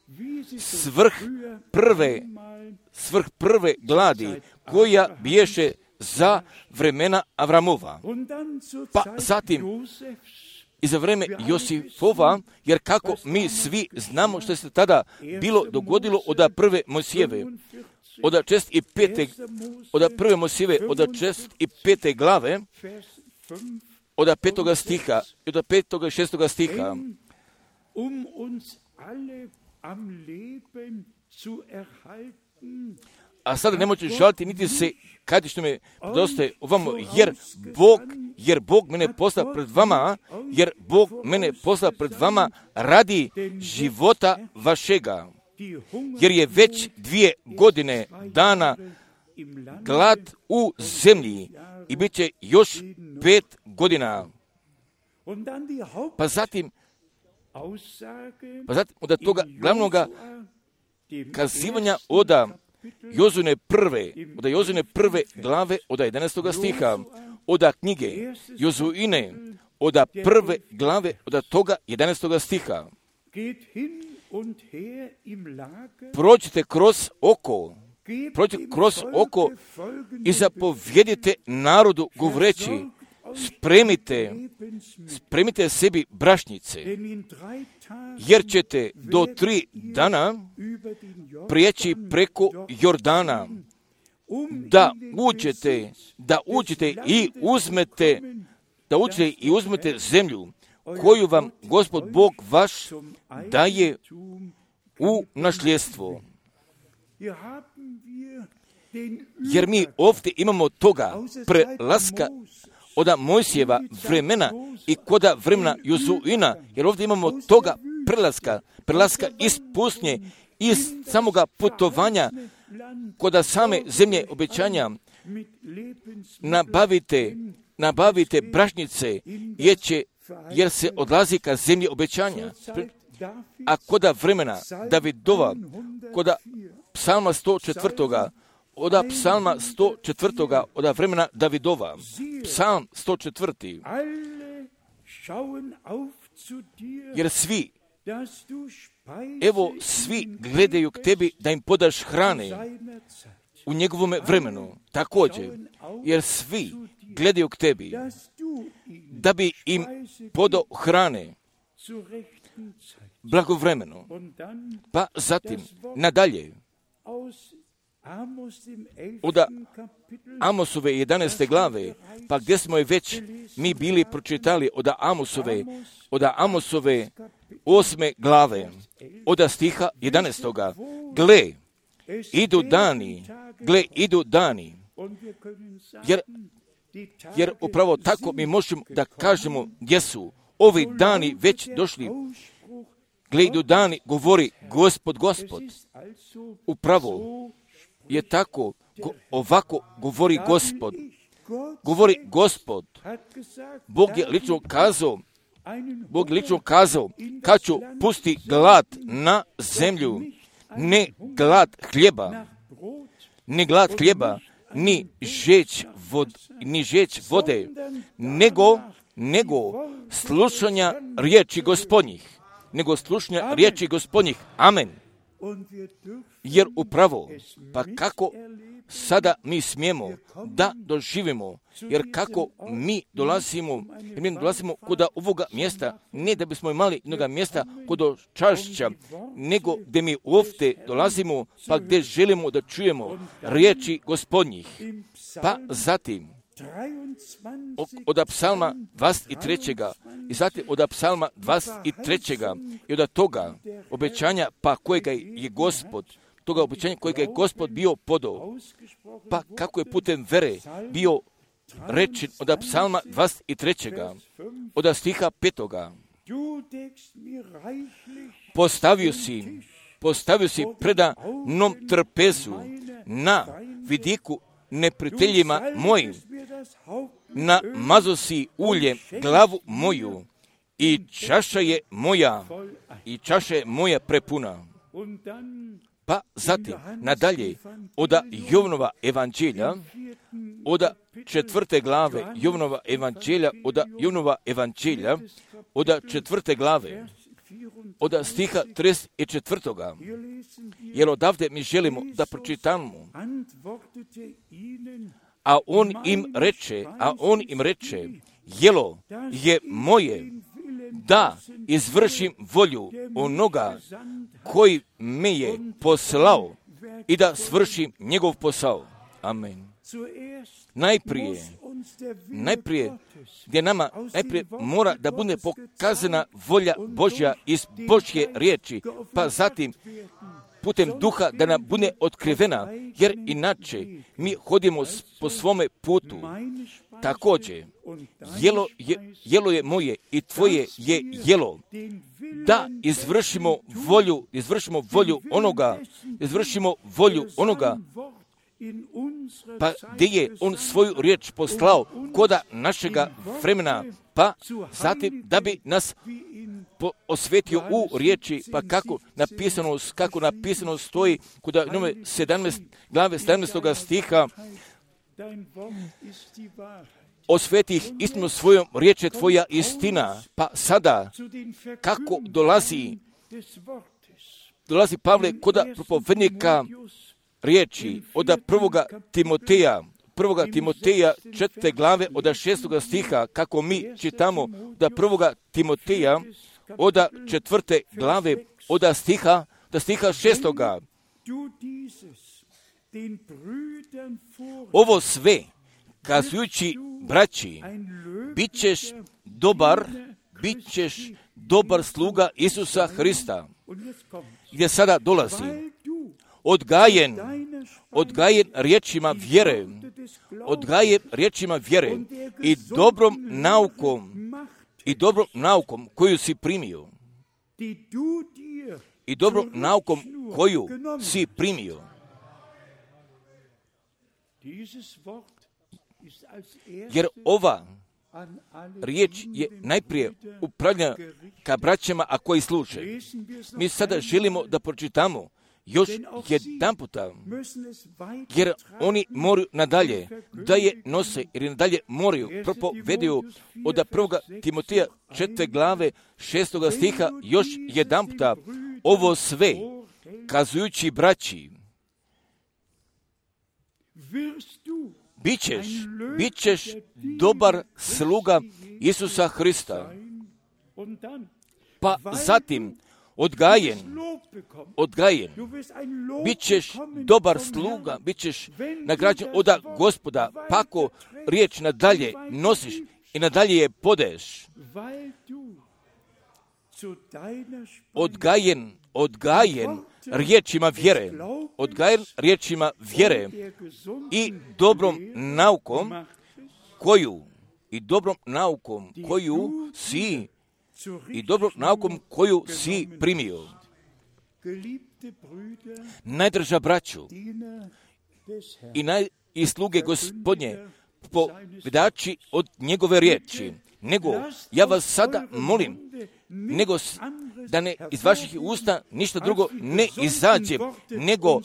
svrh prve gladi, koja biješe za vremena Avramova. Pa zatim i za vreme Josifova, jer kako mi svi znamo što se tada bilo dogodilo od prve Mojsijeve, od 1. Mojsijeve, od 5. glave, od 5. stiha i od 5. i 6. stiha. A sada nemojte žaliti niti se kad što me dostaje ovamo, jer Bog mene posla pred vama, radi života vašega, jer je već 2 godine dana glad u zemlji i bit će još 5 godina. Pa zatim od toga glavnoga kazivanja od Jozune prve glave od 11. stiha, od knjige Jozuine, od prve glave od toga 11. stiha. Prođite kroz oko i zapovjedite narodu govoreći, spremite sebi brašnice, jer ćete do 3 dana prijeći preko Jordana, da uđete i uzmete zemlju koju vam Gospod Bog vaš daje u nasljedstvo. Jer mi ovdje imamo toga prelaska od Mojsijeva vremena i koda vremena Jozuina, jer ovdje imamo toga prelaska iz pustinje, iz samoga putovanja koda same zemlje obećanja. Nabavite brašnice, jer se odlazi ka zemlji obećanja. A koda vremena Davidova, koda psalma 104. Od psalma 104. od vremena Davidova, psalm 104. Jer svi gledaju k tebi da im podaš hrane u njegovome vremenu. Također, jer svi gledaju k tebi da bi im podao hrane blagovremeno. Pa zatim, nadalje, od Amosove 11. glave, pa gdje smo je već mi bili pročitali od Amosove 8. glave, od stiha 11. Gle, idu dani, jer upravo tako mi možemo da kažemo gdje su ovi dani već došli. Gle, idu dani, govori Gospod. Upravo je tako, ovako govori Gospod. Govori Gospod. Bog je lično kazao, kad ću pusti glad na zemlju, ne glad hljeba, ni žeć vode, nego slušanja riječi Gospodnjih. Amen. Jer upravo, pa kako sada mi smijemo da doživimo, jer kako mi dolazimo kod ovoga mjesta, ne da bismo imali jednoga mjesta kod čašća, nego gdje mi ovdje dolazimo, pa gdje želimo da čujemo riječi Gospodnjih. Pa zatim, od psalma 23. i zatim od psalma 23. i od toga obećanja, pa kojega je Gospod bio podao, pa kako je putem vere bio rečen od psalma 23. od stiha 5. Postavio si predanom trpezu na vidiku neprijateljima mojim, namazo si uljem glavu moju i čaša je moja prepuna. Pa zatim, nadalje, od Jovanova evanđelja, od 4. glave Jovanova evanđelja, od 4. glave, od stiha 34. Jer odavde mi želimo da pročitamo. A on im reče, jelo je moje da izvršim volju onoga koji me je poslao i da svršim njegov posao. Amen. Najprije gdje nama mora da bude pokazana volja Božja iz Božje riječi, pa zatim putem duha da nam bude otkrivena, jer inače mi hodimo po svome putu. Također, jelo je moje i tvoje je jelo, da izvršimo volju onoga, pa gdje je on svoju riječ poslao koda našega vremena, pa zatim da bi nas osvetio u riječi, pa kako napisano stoji kod nove 17. glave 17. stiha, osvetih istinu svojom, riječ je tvoja istina. Pa sada, kako dolazi Pavle kod propovednika riječi od 1. Timoteja 4. glave od 6. stiha, kako mi čitamo da 1. Timoteja od 4. glave od stiha 6. Ovo sve kazujući braći, bit ćeš dobar sluga Isusa Hrista, gdje sada dolazi odgajen riječima vjere i dobrom naukom koju si primio. Jer ova riječ je najprije upravljena ka braćama, a koji služe. Mi sada želimo da pročitamo još jedan puta, jer oni moraju nadalje da je nose, jer nadalje moraju propovedaju od 1. Timoteja 4. glave 6. stiha još jedan puta. Ovo sve kazujući braći, bit ćeš dobar sluga Isusa Hrista. Pa zatim odgajen, bit ćeš dobar sluga, bit ćeš nagrađen od Gospoda, pa ako riječ nadalje nosiš i nadalje je podaješ. Odgajen riječima vjere i dobrom naukom koju si primio. Najdraža braću i sluge Gospodnje, povedači od njegove riječi, nego ja vas sada molim, nego da ne iz vaših usta ništa drugo ne izađe, nego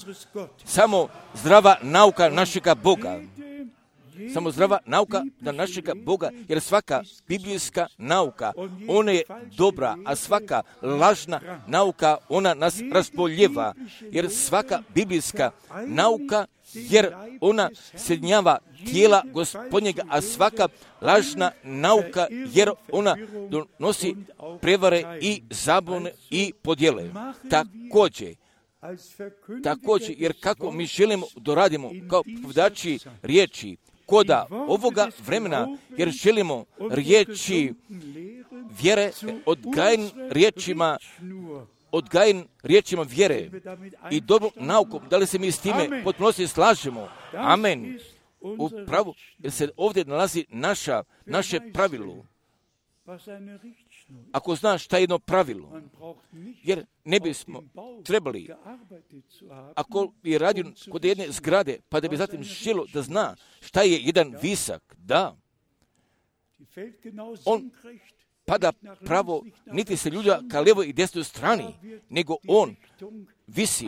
samo zdrava nauka našega Boga. Samo zdrava nauka našega Boga, jer svaka biblijska nauka, ona je dobra, a svaka lažna nauka, ona nas razboljeva, jer svaka biblijska nauka, jer ona sjedinjava tijela Gospodnjega, a svaka lažna nauka, jer ona donosi prevare i zabune i podjele. Također, jer kako mi želimo da radimo kao povedači riječi, koda ovoga vremena, jer želimo riječi vjere odgajen riječima vjere i dobrom naukom. Da li se mi s time potpunosti slažemo? Amen. Upravo, jer se ovdje nalazi naše pravilo. Ako znaš šta je jedno pravilo, jer ne bismo trebali, ako je radio kod jedne zgrade, pa da bi zatim želo da zna šta je jedan visak, da, on pada pravo, niti se ljulja ka lijevoj i desnoj strani, nego on visi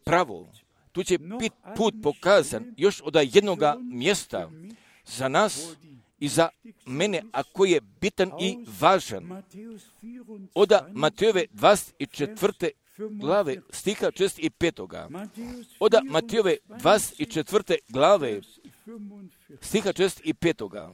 pravo. Tu će biti put pokazan još od jednoga mjesta za nas i za mene, a koji je bitan i važan. Od Matejove 24. glave stiha 65. Od Matejove 24. glave stiha 65.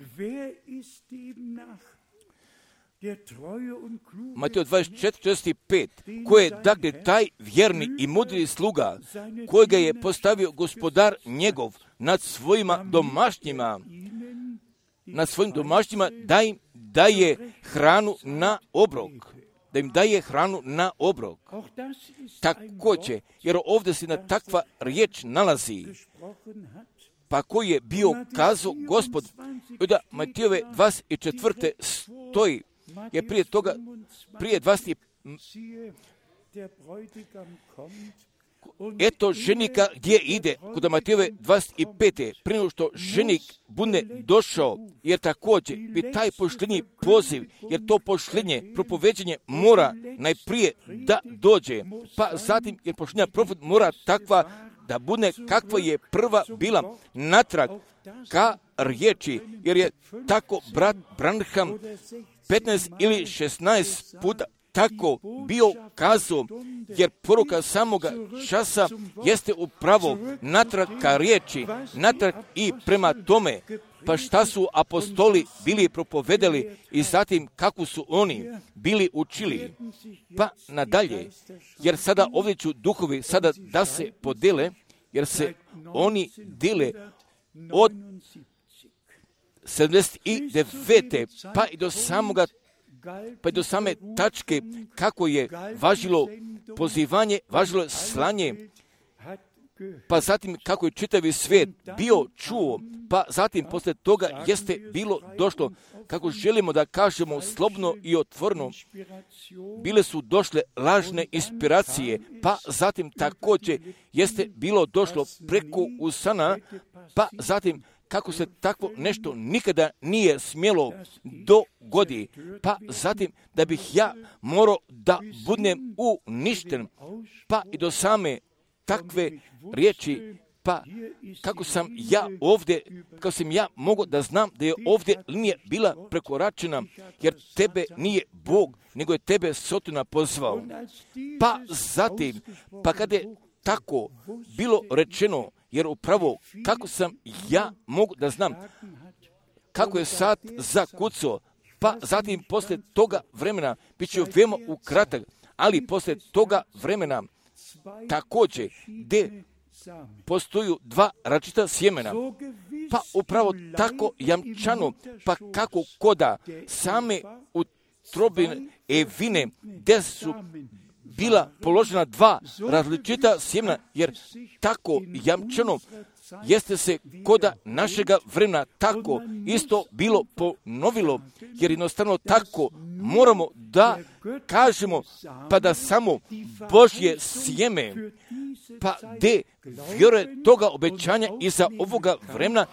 Mateo 24:65, ko je dakle taj vjerni i mudri sluga, kojega je postavio gospodar njegov nad svojim domaćnjima, da im daje hranu na obrok. Da im daje hranu na obrok. Također, jer ovdje se na takva riječ nalazi, pa koji je bio kazao Gospod, od Matejove 24. stoji, jer prije toga, prije 20. Eto ženika gdje ide, kod Matejove 25. prije nego što ženik bude došao, jer također bi taj poštenji poziv, jer to poštenje, propoveđenje mora najprije da dođe, pa zatim jer poštenja profet mora takva da bude kakva je prva bila natrag ka riječi, jer je tako brat Branham 15 ili 16 puta tako bio kazao, jer poruka samoga časa jeste upravo natrag ka riječi, natrag i prema tome, pa šta su apostoli bili propovedali i zatim kako su oni bili učili, pa nadalje, jer sada ovdje ću duhovi sada da se podele, jer se oni dele od 79. pa i do same tačke kako je važilo pozivanje, važilo slanje, pa zatim kako je čitavi svijet bio čuo, pa zatim poslije toga jeste bilo došlo, kako želimo da kažemo slobodno i otvoreno, bile su došle lažne inspiracije, pa zatim također jeste bilo došlo preko usana, pa zatim kako se takvo nešto nikada nije smjelo dogodi, pa zatim da bih ja morao da budem uništen, pa i do same takve riječi, pa kako sam ja mogao da znam da je ovdje linija bila prekoračena, jer tebe nije Bog, nego je tebe Sotona pozvao. Pa zatim, pa kada je tako bilo rečeno, jer upravo kako sam ja mogu da znam kako je sat zakucao, pa zatim poslije toga vremena bit će veoma ukratak, ali poslije toga vremena također gdje postoju dva različita sjemena. Pa upravo tako jamčano, pa kako koda same utrobine Evine, gdje su bila položena dva različita sjemena, jer tako jamčano jeste se koda našega vremena tako isto bilo ponovilo, jer jednostavno tako moramo da kažemo, pa da samo Božje sjeme, pa gdje vjeruje toga obećanja iza ovoga vremena,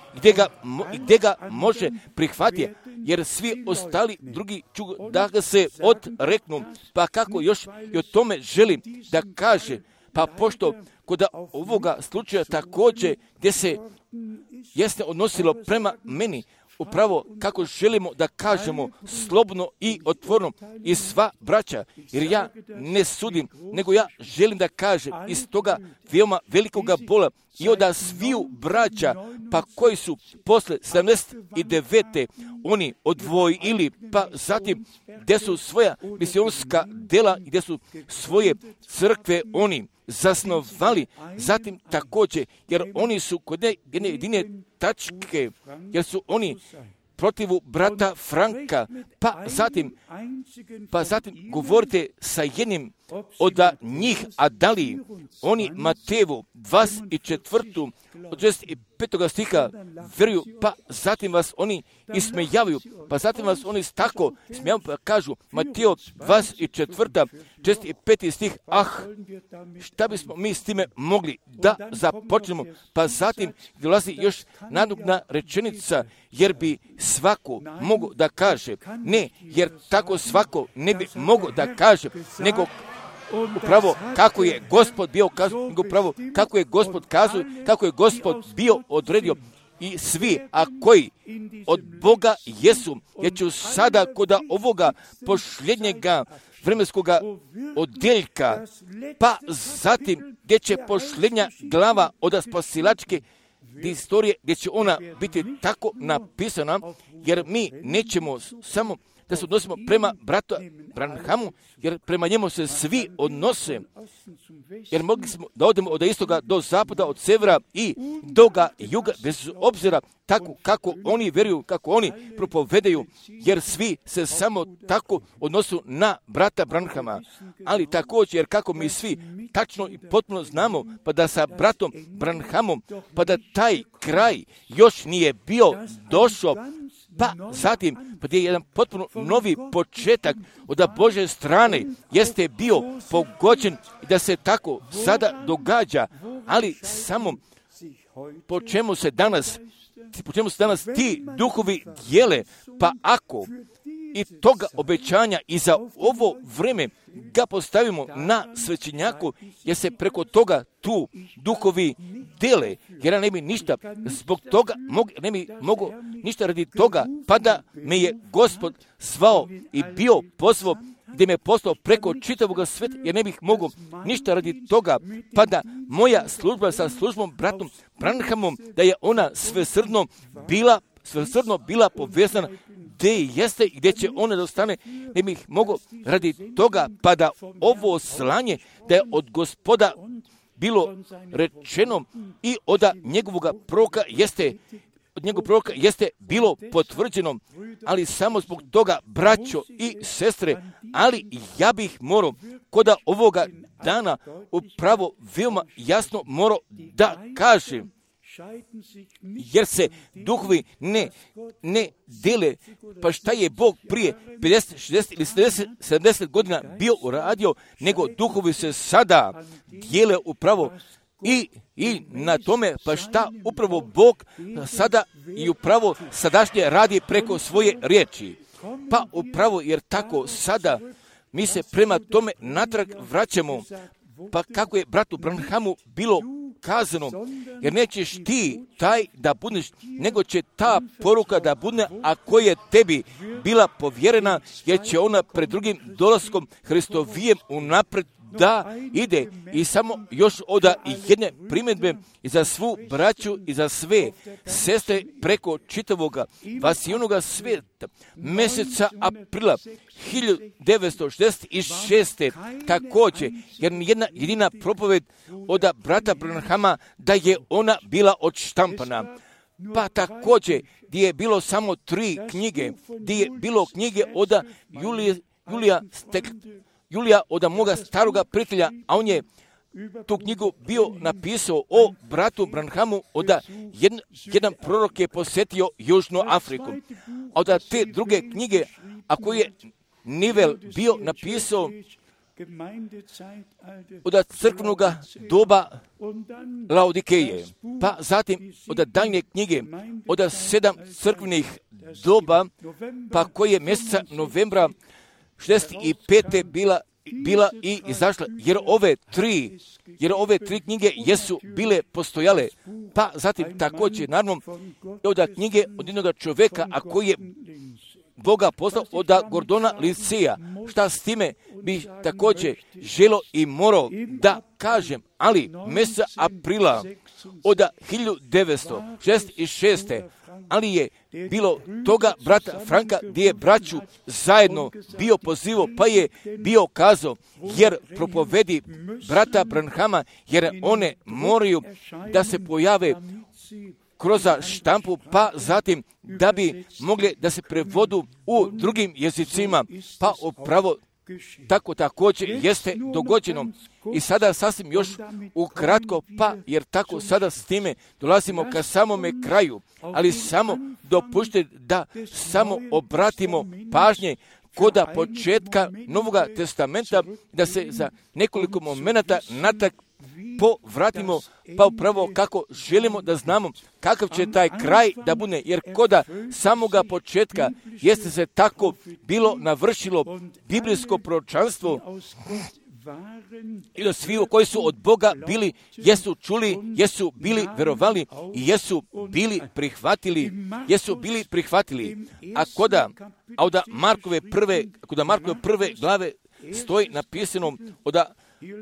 gdje ga može prihvatiti, jer svi ostali drugi ću da ga se odreknu. Pa kako još i o tome želim da kaže, pa pošto kod ovoga slučaja također gdje se jeste odnosilo prema meni, upravo kako želimo da kažemo slobodno i otvoreno i sva braća, jer ja ne sudim, nego ja želim da kažem iz toga veoma velikoga bola i od sviju braća, pa koji su posle 79. oni odvojili, pa zatim gdje su svoja misionska dela i gdje su svoje crkve oni zasnovali, zatim također, jer oni su kod jedne jedine tačke, jer su oni protivu brata Franka, pa zatim govorite sa jednim od njih, a da li oni Matejevu 24. od 65. stiha vjeruju, pa zatim vas oni ismejavaju, pa zatim vas oni tako smijavaju, pa kažu Matejev 24. 65. stih, šta bismo mi s time mogli da započnemo, pa zatim dolazi još nadugna rečenica, jer bi svako mogo da kaže, ne, jer tako svako ne bi mogo da kaže, nego upravo kako je Gospod bio kazao, nego upravo kako je Gospod kazao, kako je Gospod bio odredio. I svi, a koji od Boga jesu, jer ću sada kod ovoga posljednjega vremenskoga odjeljka, pa zatim gdje će posljednja glava od spasilačke istorije, gdje će ona biti tako napisana, jer mi nećemo samo da se odnosimo prema bratu Branhamu, jer prema njemu se svi odnose, jer mogli smo da odemo od istoga do zapada, od severa i do juga, bez obzira tako kako oni vjeruju, kako oni propovedaju, jer svi se samo tako odnosu na brata Branhama. Ali također, jer kako mi svi tačno i potpuno znamo, pa da sa bratom Branhamom, pa da taj kraj još nije bio došao, pa zatim, pa gdje je jedan potpuno novi početak od Božje strane jeste bio pogođen i da se tako sada događa, ali samo po čemu se danas ti duhovi dijele, pa ako i toga obećanja i za ovo vreme ga postavimo na svećenjaku, jer se preko toga tu duhovi dele, jer ja ne bi ništa zbog toga, ne bi mogo ništa radi toga, pa da me je Gospod zvao i bio pozvao, gdje me poslao preko čitavog sveta, jer ne bih mogao ništa radi toga, pa da moja služba sa službom bratom Branhamom, da je ona svesrdno bila povezana gdje jeste i gdje će ona da ostane, ne bih mogao radi toga, pa da ovo slanje, da je od Gospoda bilo rečeno i od njegovog proroka jeste bilo potvrđeno, ali samo zbog toga, braćo i sestre, ali ja bih morao kod ovoga dana upravo veoma jasno morao da kažem, jer se duhovi ne dele, pa šta je Bog prije 50, 60 ili 70 godina bio uradio, nego duhovi se sada dijele upravo i na tome, pa šta upravo Bog sada i upravo sadašnje radi preko svoje riječi. Pa upravo jer tako sada mi se prema tome natrag vraćamo, pa kako je bratu Branhamu bilo kazano, jer nećeš ti taj da budeš, nego će ta poruka da bude, a koja je tebi bila povjerena, jer će ona pred drugim dolaskom Hristovijem unapred da ide. I samo još oda i jedne primjedbe i za svu braću i za sve sestre preko čitavoga vasijunoga svijeta. Mjeseca aprila 1966. također, jer jedna jedina propoved od brata Branhama da je ona bila odštampana. Pa također, gdje je bilo samo 3 knjige, gdje je bilo knjige od Julija od moga staroga prijatelja, a on je tu knjigu bio napisao o bratu Branhamu, od jedan prorok je posjetio Južnu Afriku. A od te druge knjige, ako je Nivel bio napisao od crkvenog doba Laodikeje, pa zatim od daljnje knjige, od 7 crkvenih doba, pa koje mjeseca novembra 65. bila i izašla, jer ove tri knjige jesu bile postojale. Pa zatim također, naravno, od knjige od jednog čovjeka, a koji je Boga poslao od Gordona Lindsaya. Šta s time bi također želo i morao da kažem, ali mjeseca aprila od 1966. ali je bilo toga brata Franka gdje je braću zajedno bio pozivo, pa je bio kazao, jer propovedi brata Branhama, jer one moraju da se pojave kroz štampu, pa zatim da bi mogli da se prevodu u drugim jezicima, pa upravo tako također jeste dogođeno. I sada sasvim još ukratko, pa jer tako sada s time dolazimo ka samome kraju, ali samo dopušte da samo obratimo pažnje koda početka Novoga testamenta, da se za nekoliko momenata natak povratimo, pa upravo kako želimo da znamo kakav će taj kraj da bude, jer koda samoga početka jeste se tako bilo navršilo biblijsko proročanstvo i da svi koji su od Boga bili, jesu čuli, jesu bili verovali i jesu bili prihvatili. A koda Markove prve glave stoji napisano od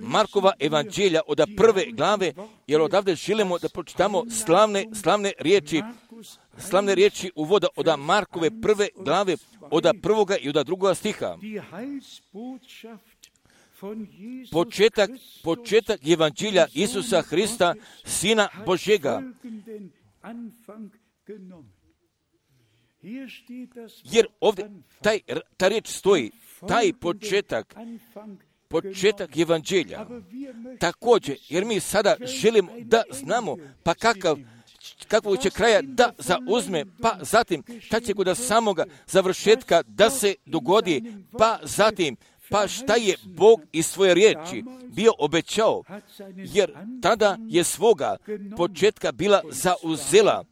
Markova evanđelja od prve glave, jer odavde želimo da pročitamo slavne riječi uvoda od Markove prve glave od prvoga i od drugoga stiha. Početak evanđelja Isusa Hrista, Sina Božjega. Jer ovdje ta riječ stoji, taj početak evanđelja. Također, jer mi sada želimo da znamo pa kakvog će kraja da zauzme, pa zatim šta će kod samoga završetka da se dogodi, pa zatim pa šta je Bog iz svoje riječi bio obećao, jer tada je svoga početka bila zauzela.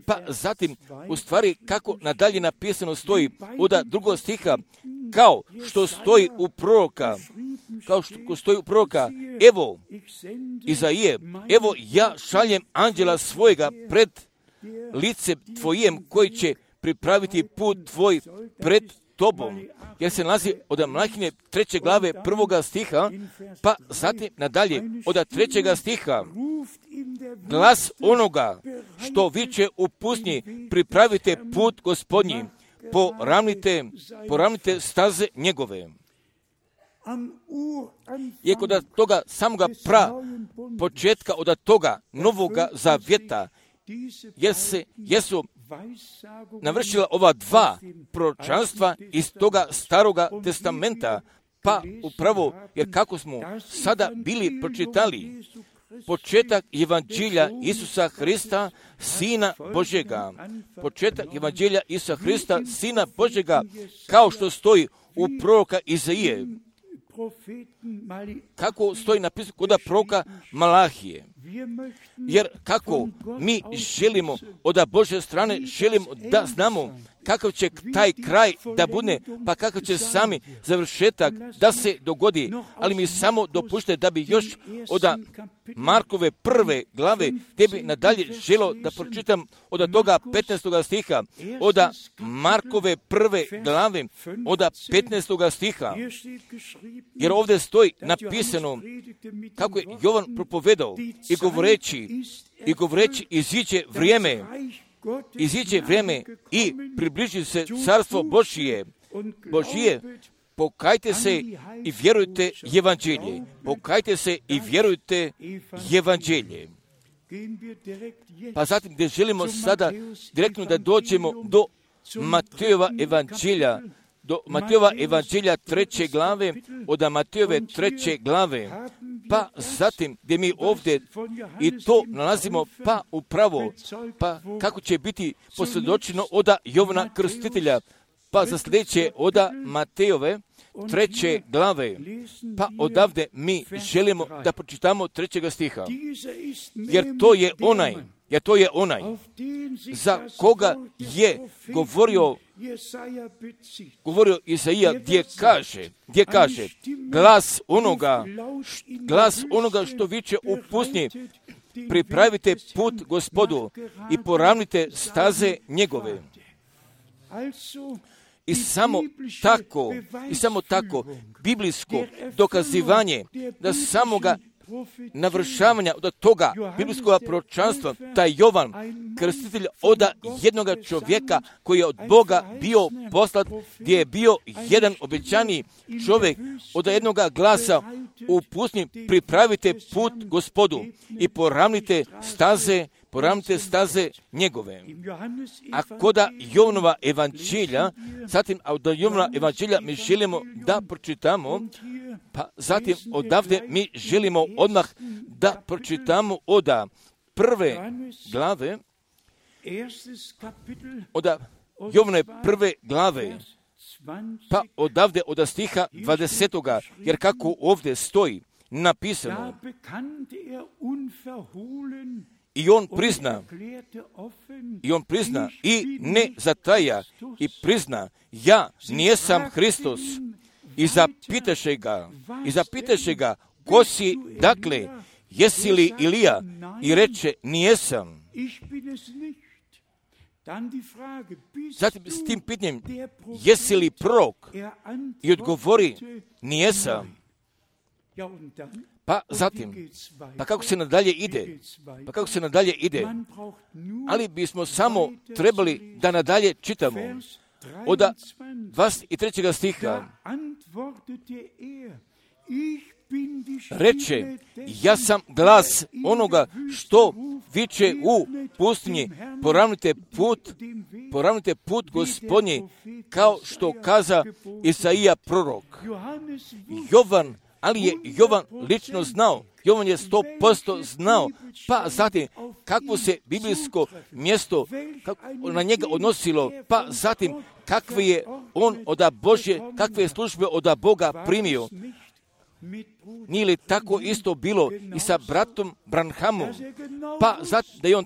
Pa zatim, u stvari, kako nadalje napisano stoji od drugog stiha, kao što stoji u proroka, evo, Izaije, evo ja šaljem anđela svojega pred lice tvojem, koji će pripraviti put tvoj pred tobom. Jer se nalazi od Malahije 3. glave 1. stiha, pa zatim nadalje od 3. stiha, glas onoga što viče u pustinji, pripravite put Gospodnji, poravnite staze njegove. Je kod toga samoga početka od toga Novoga zavjeta, jesu navršila ova 2 proročanstva iz toga Staroga testamenta, pa upravo, jer kako smo sada bili pročitali, početak evanđelja Isusa Hrista, Sina Božjega. Početak evanđelja Isusa Hrista, Sina Božjega, kao što stoji u proroka Izaije. Kako stoji napisano kod proroka Malahije. Jer kako mi želimo od Božje strane, želimo da znamo kakav će taj kraj da bude, pa kakav će sami završetak da se dogodi, ali mi samo dopušte da bi još od Markove 1. glave, gdje bi nadalje želo da pročitam od toga 15. stiha, od Markove 1. glave, od 15. stiha, jer ovdje stoji napisano kako je Jovan propovedao i govoreći iziđe vrijeme i približi se carstvo Božije. Pokajte se i vjerujte evanđelje. Pokajte se i vjerujte evanđelje. Pa zatim gdje želimo sada direktno da dođemo do Matejova evanđelja, do Matejova evanđelja 3. glave, od Matejove 3. glave, pa zatim gdje mi ovdje i to nalazimo pa upravo, pa kako će biti posvjedočeno od Jovana Krstitelja, pa za sljedeće od Matejove 3. glave, pa odavde mi želimo da pročitamo 3. stiha, jer to je onaj za koga je govorio Isaija, gdje kaže glas onoga što viče u pustinji, pripravite put Gospodu i poravnite staze njegove. I samo tako biblijsko dokazivanje da samoga navršavanja od toga biblijskog proročanstva, taj Jovan Krstitelj od jednoga čovjeka koji je od Boga bio poslat, gdje je bio jedan obećani čovjek, od jednoga glasa u pustinji, pripravite put Gospodu i poravnite staze njegove. A kod Jovanova evanđelja, zatim od Jovanova evanđelja mi želimo da pročitamo, pa zatim odavde mi želimo odmah da pročitamo od 1. glave, od Jovanove 1. glave, pa odavde od stiha 20. jer kako ovdje stoji napisano, I on prizna i ne zataja i prizna, ja nijesam Hristos. I zapitaše ga, ko si, dakle, jesi li Ilija? I reče, nijesam. Zatim s tim pitanjem, jesi li prorok? I odgovori, nijesam. Pa zatim, kako se nadalje ide? Ali bismo samo trebali da nadalje čitamo od 23. stiha. Reče, ja sam glas onoga što viče u pustinji, poravnite put Gospodnji, kao što kaza Isaija prorok. Ali je Jovan lično znao, Jovan je 100% znao, pa zatim kakvo se biblijsko mjesto na njega odnosilo, pa zatim kakve je on kakve je službe od Boga primio. Nije li tako isto bilo i sa bratom Branhamom? Pa da je on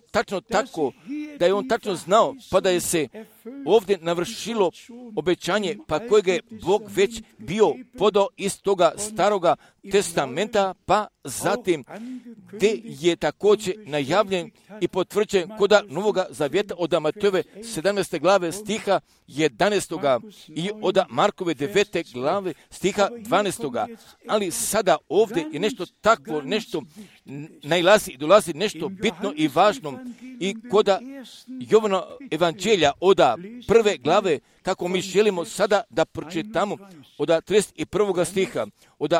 tačno znao, pa da je se ovdje navršilo obećanje, pa kojeg je Bog već bio podao iz toga staroga testamenta, pa zatim gdje je također najavljen i potvrđen kod Novoga zavjeta od Matejove 17. glave stiha 11. i od Markove 9. glave stiha 12. Ali sada ovdje je nešto takvo, nešto najlazi i dolazi nešto bitno i važno. I kod Jovana evanđelja od 1. glave, kako mi želimo sada da pročitamo od 31. stiha, od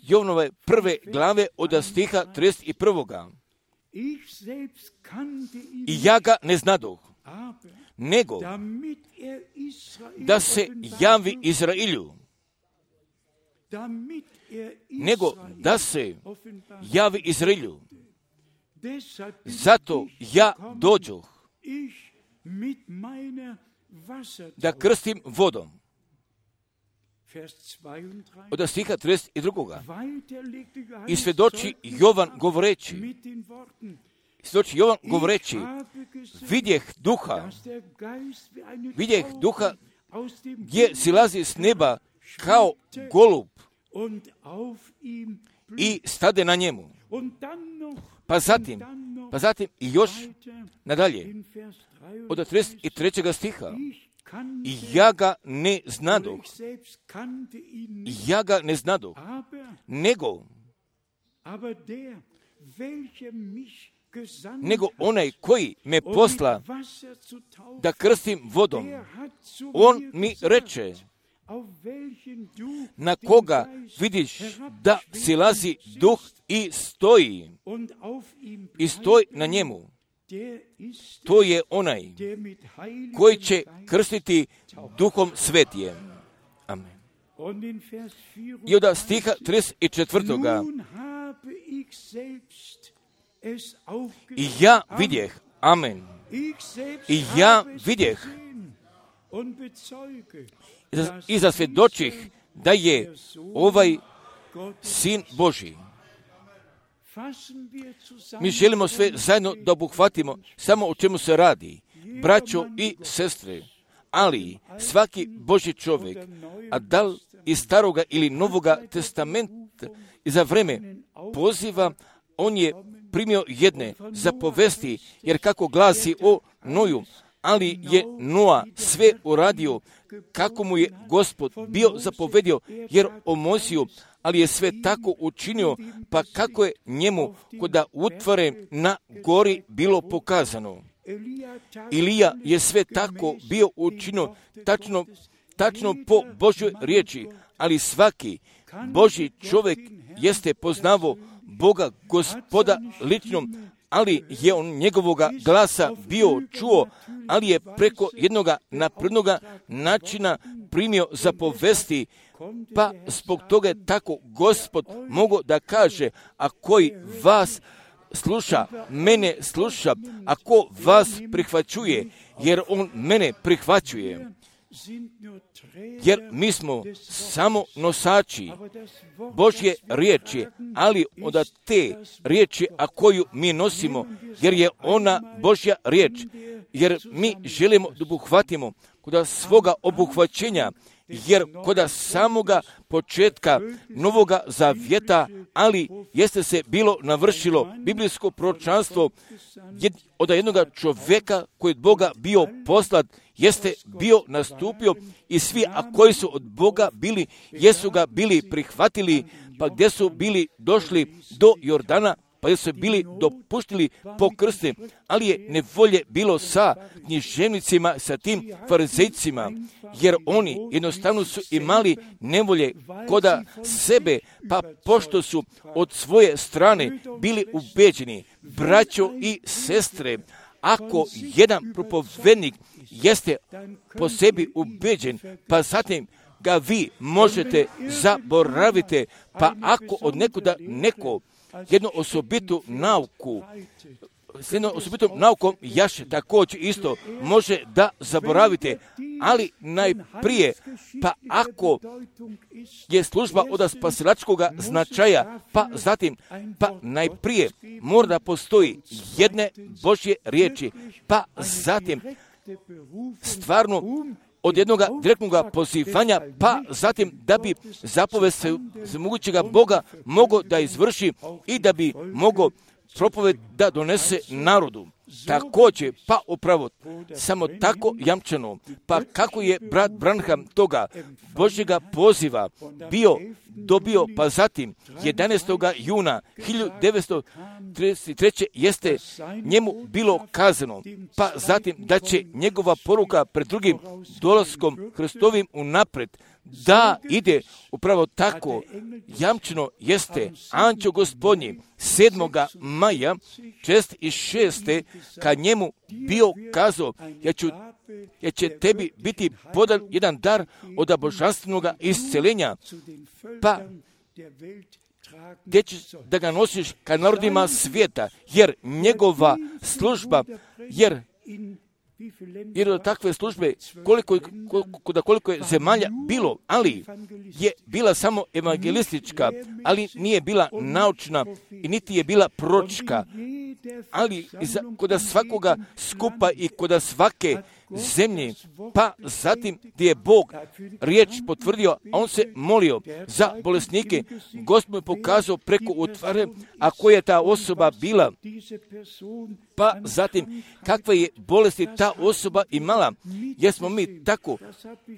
Jovanove 1. glave od stiha 31. I ja ga ne znadoh, nego da se javi Izrailju, Zato ja dođoh da krstim vodom. od stiha 32. I svjedoči Jovan govoreći, vidjeh duha gdje silazi s neba kao golub i stade na njemu. Pa zatim i još nadalje, od 33. stiha. I ja ga ne znadoh, nego onaj koji me posla da krstim vodom, on mi reče, na koga vidiš da silazi duh i stoji na njemu, to je onaj koji će krstiti Duhom Svetijem. Amen. I od stiha 34. I ja vidjeh, amen, i ja vidjeh i zasvjedočih da je ovaj Sin Božji. Mi želimo sve zajedno da obuhvatimo samo o čemu se radi, braćo i sestre, ali svaki Božji čovjek, a da li iz Staroga ili Novoga testamenta i za vreme poziva, on je primio jedne zapovesti, jer kako glasi o Noju, ali je Noa sve uradio kako mu je Gospod bio zapovedio, jer o Mojsiju, ali je sve tako učinio, pa kako je njemu kod utvare na gori bilo pokazano. Ilija je sve tako bio učinio tačno po Božjoj riječi, ali svaki Božji čovjek jeste poznavao Boga Gospoda ličnom, ali je on njegovoga glasa bio čuo, ali je preko jednoga naprednoga načina primio zapovesti, pa zbog toga je tako Gospod mogao da kaže, a koji vas sluša, mene sluša, a ko vas prihvaćuje, jer on mene prihvaćuje. Jer mi smo samo nosači Božje riječi, ali od te riječi, a koju mi nosimo, jer je ona Božja riječ, jer mi želimo da obuhvatimo kod svoga obuhvaćenja, jer kod samoga početka Novoga Zavjeta, ali jeste se bilo navršilo biblijsko proročanstvo od jednoga čovjeka koji od Boga bio poslat, jeste bio nastupio i svi, a koji su od Boga bili, jesu ga bili prihvatili, pa gdje su bili došli do Jordana, pa jesu bili dopuštili po krste, ali je nevolje bilo sa književnicima, sa tim farizejcima, jer oni jednostavno su imali nevolje koda sebe, pa pošto su od svoje strane bili ubeđeni, braćo i sestre, ako jedan propovednik jeste po sebi ubeđen, pa zatim ga vi možete zaboraviti, pa ako od nekuda neko jednu osobitu nauku, s jednom osobitom naukom jaš također isto može da zaboravite, ali najprije, pa ako je služba od spasilačkoga značaja, pa zatim, pa najprije mora da postoji jedne Božje riječi, pa zatim stvarno od jednog direktnog pozivanja, pa zatim da bi zapovest mogućega Boga mogao da izvrši i da bi mogao propoved da donese narodu. Također, pa upravo, samo tako jamčeno, pa kako je brat Branham toga Božjega poziva dobio, pa zatim 11. juna 1933. jeste njemu bilo kazano, pa zatim da će njegova poruka pred drugim dolaskom Hristovim unapred da ide upravo tako jamčeno jeste anđeo Gospodnji 7. maja 46. kad njemu bio kazao, ja će tebi biti podan jedan dar od božanstvenog isceljenja, pa gdje ćeš da ga nosiš ka narodima svijeta, jer njegova služba, jer jer od takve službe koliko je zemalja bilo, ali je bila samo evangelistička, ali nije bila naučna i niti je bila proročka, ali kod svakoga skupa i kod svake zemlje, pa zatim gdje je Bog riječ potvrdio, a on se molio za bolesnike, Gospod je pokazao preko utvare, a koja je ta osoba bila, pa zatim kakve je bolesti ta osoba imala, jesmo mi tako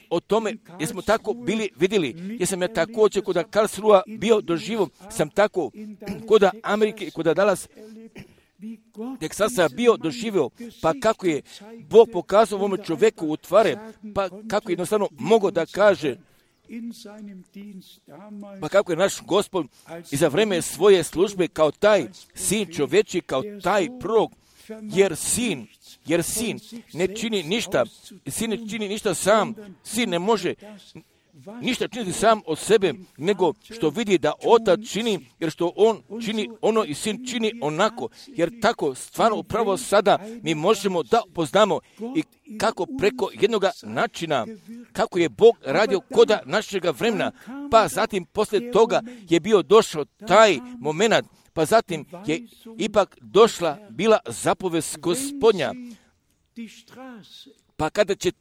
o tome, jesmo tako bili vidjeli, jesam ja također kod Karlsruha bio doživo, sam tako kod Amerike, kod Dallas, Teksasa bio doživio, pa kako je Bog pokazao ovome čovjeku u tvare, pa kako je jednostavno mogao da kaže, pa kako je naš Gospod i za vreme svoje službe kao taj sin čovječi, kao taj prorok, jer sin ne čini ništa, sin ne čini ništa sam, sin ne može ništa činiti sam od sebe, nego što vidi da otac čini, jer što on čini ono i sin čini onako, jer tako stvarno upravo sada mi možemo da poznamo i kako preko jednog načina, kako je Bog radio koda našega vremena, pa zatim poslije toga je bio došao taj moment, pa zatim je ipak došla bila zapovest Gospodnja. Pa kada će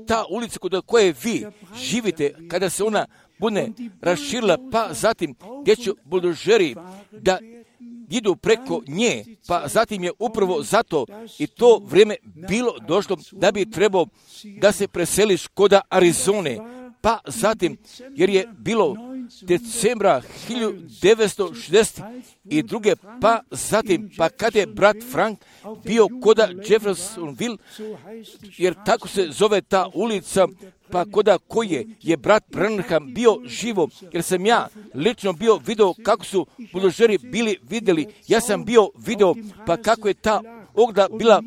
ta ulica kod koje vi živite, kada se ona bude raširila, pa zatim gdje će buldožeri da idu preko nje, pa zatim je upravo zato i to vrijeme bilo došlo da bi trebao da se preseliš kod Arizone, pa zatim, jer je bilo decembra 1962. pa zatim, pa kad je brat Frank bio koda Jeffersonville, jer tako se zove ta ulica, pa koda koje je brat Branham bio živo, jer sam ja lično bio video kako su buldožeri bili vidjeli, ja sam bio video, pa kako je ta ogla bila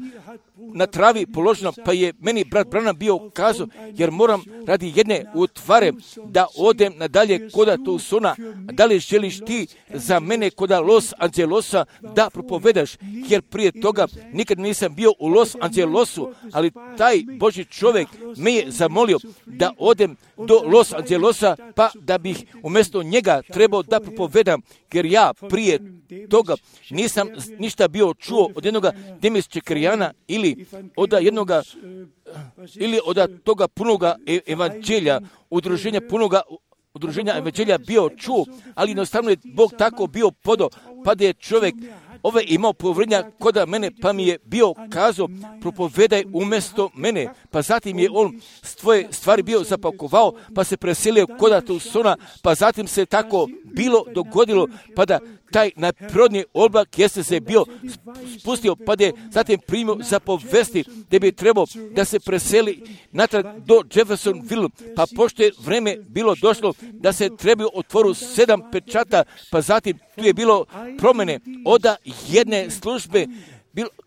na travi položeno, pa je meni brat Branham bio kazao, jer moram radi jedne utvare da odem nadalje koda Tucsona, da li želiš ti za mene koda Los Angelesa da propovedaš, jer prije toga nikad nisam bio u Los Angelesu, ali taj Božji čovjek me je zamolio da odem do Los Angelesa, pa da bih umjesto njega trebao da propovedam, jer ja prije toga nisam ništa bio čuo od jednog Demis Čekrijana ili od toga punoga evanđelja, udruženja evanđelja bio čuo, ali jednostavno je Bog tako bio podao, pa da je čovjek imao povrednja koda mene, pa mi je bio kazao, propovedaj umjesto mene, pa zatim je on svoje stvari bio zapakovao, pa se preselio koda Tucsona, pa zatim se tako bilo dogodilo, pa da taj najprirodniji oblak jeste se bio spustio, pa da je zatim primio zapovesti da bi trebao da se preseli natrag do Jeffersonville, pa pošto je vreme bilo došlo da se trebaju otvoru 7 pečata, pa zatim tu je bilo promjene od jedne službe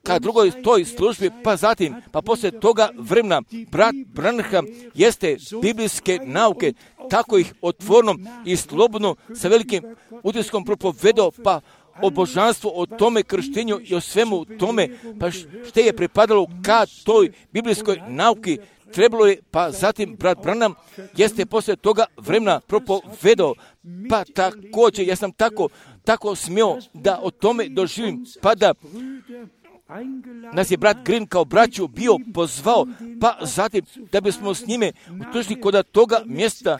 ka drugoj toj službi, pa zatim, pa poslije toga vremena, brat Branham jeste biblijske nauke, tako ih otvorno i slobodno sa velikim utiskom propovedao, pa o božanstvu, o tome krštenju i o svemu tome, pa što je pripadalo ka toj biblijskoj nauki, trebalo je, pa zatim brat Branham jeste poslije toga vremena propovedao, pa također ja sam tako smio da o tome doživim, pa da nas je brat Green kao braću bio pozvao, pa zatim da bismo s njime otišli kod toga mjesta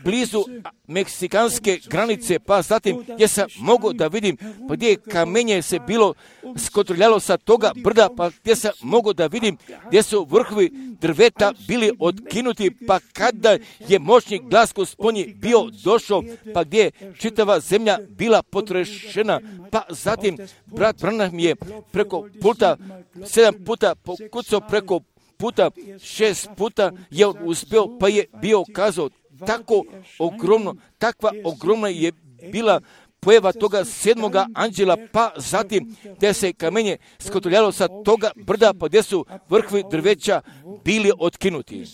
blizu meksikanske granice, pa zatim gdje sam mogao da vidim pa gdje je kamenje se bilo skotrljalo sa toga brda, pa gdje sam mogao da vidim gdje su vrhovi drveta bili otkinuti, pa kada je moćni glas Gospodnji bio došao, pa gdje je čitava zemlja bila potrešena, pa zatim brat Branham je preko puta 7 puta pokucao preko puta 6 puta je on uspio, pa je bio kazao tako ogromno, takva ogromna je bila pojava toga 7. anđela, pa zatim gdje se kamenje skotrljalo sa toga brda, pa gdje su vrhovi drveća bili otkinuti.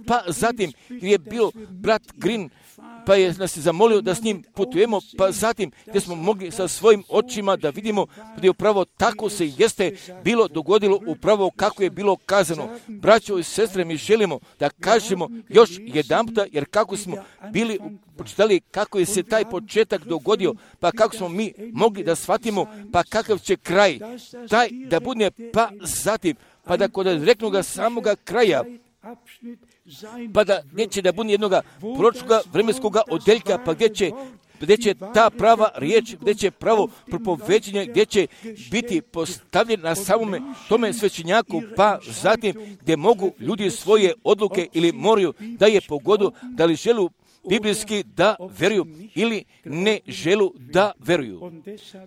Pa zatim je bio brat Green pa je nas zamolio da s njim putujemo, pa zatim gdje smo mogli sa svojim očima da vidimo da je upravo tako se jeste bilo dogodilo upravo kako je bilo kazano. Braćo i sestre, mi želimo da kažemo još jedanputa, jer kako smo bili počitali kako je se taj početak dogodio, pa kako smo mi mogli da shvatimo, pa kakav će kraj taj da bude, pa zatim, pa da kod reknoga samoga kraja, pa da neće da bude jednoga proročkoga vremenskoga odeljka, pa gdje će ta prava riječ, gdje će pravo propoveđenje, gdje će biti postavljen na samome tome svećenjaku, pa zatim gdje mogu ljudi svoje odluke ili moraju da je pogodu, da li želu biblijski da veruju ili ne želu da veruju.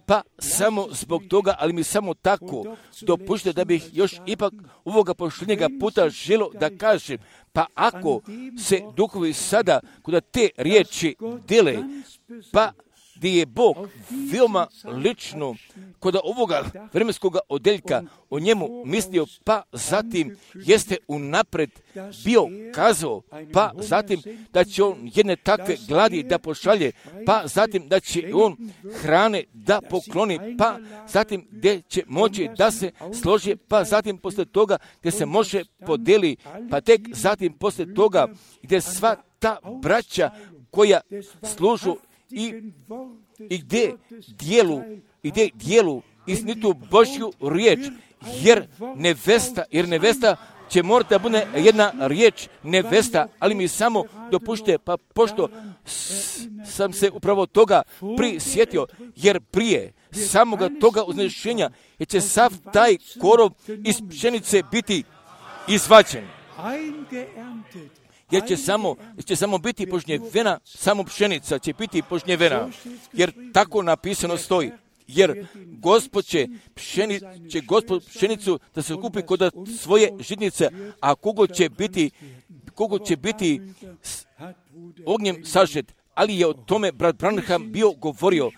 Pa samo zbog toga, ali mi samo tako dopušte da bih još ipak ovoga posljednjega puta želo da kažem, pa ako se duhovi sada kod te riječi dele, pa gdje je Bog veoma lično kod ovoga vremenskoga odeljka o njemu mislio, pa zatim jeste unapred bio kazao, pa zatim da će on jedne takve gladi da pošalje, pa zatim da će on hrane da pokloni, pa zatim gdje će moći da se složi, pa zatim posle toga gdje se može podeli, pa tek zatim posle toga gdje sva ta braća koja služu i gdje dijelu istinitu Božju riječ, jer nevesta će morati da bude jedna riječ nevesta, ali mi samo dopušte, pa pošto sam se upravo toga prisjetio, jer prije samoga toga uznešenja je će sav taj korov iz pšenice biti izvađen. Jer će samo biti požnjevena, samo pšenica će biti požnjevena, jer tako napisano stoji. Jer Gospod će pšenicu da se kupi kod svoje žitnice, a kogo će biti ognjem sažet. Ali je o tome brat Branham bio govorio,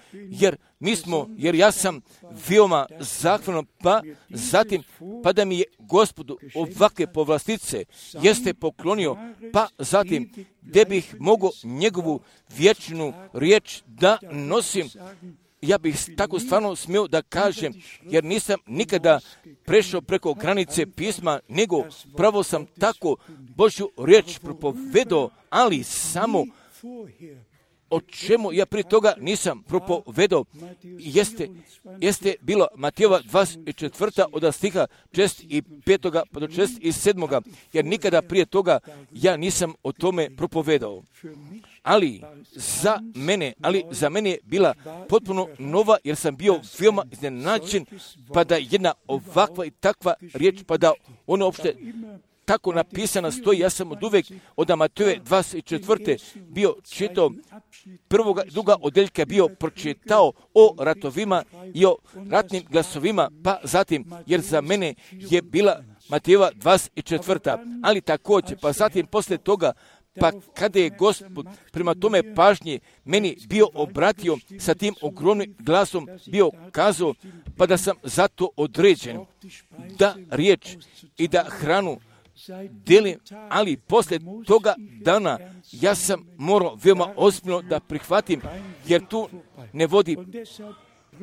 jer ja sam veoma zahvalan, pa zatim, pa da mi je Gospodu ovakve povlastice jeste poklonio, pa zatim, gdje bih mogao njegovu vječnu riječ da nosim, ja bih tako stvarno smio da kažem, jer nisam nikada prešao preko granice pisma, nego pravo sam tako Božju riječ propovedao, ali samo o čemu ja prije toga nisam propovedao, jeste bilo Matejova 24. od stiha 65. pa do 67. jer nikada prije toga ja nisam o tome propovedao. Ali za mene je bila potpuno nova, jer sam bio veoma iznenađen, pa da jedna ovakva i takva riječ, pa da ono uopšte tako napisana stoji. Ja sam od uvek od Matejove 24. bio čitao prvoga i druga odeljka, bio pročitao o ratovima i o ratnim glasovima, pa zatim, jer za mene je bila Matejova 24. Ali također, pa zatim posle toga, pa kada je Gospod prema tome pažnje meni bio obratio sa tim ogromnim glasom, bio kazao, pa da sam zato određen da riječ i da hranu delim, ali poslije toga dana ja sam morao veoma ozbiljno da prihvatim, jer tu ne vodi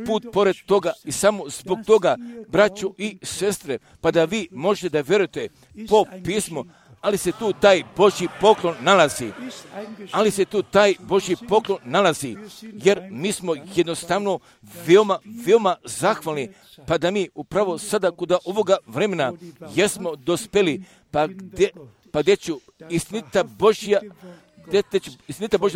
put pored toga i samo zbog toga, braćo i sestre, pa da vi možete da verujete po pismu, ali se tu taj Božji poklon nalazi. Jer mi smo jednostavno veoma zahvalni, pa da mi upravo sada kod ovoga vremena jesmo dospeli, pa gdje ću istinita Božja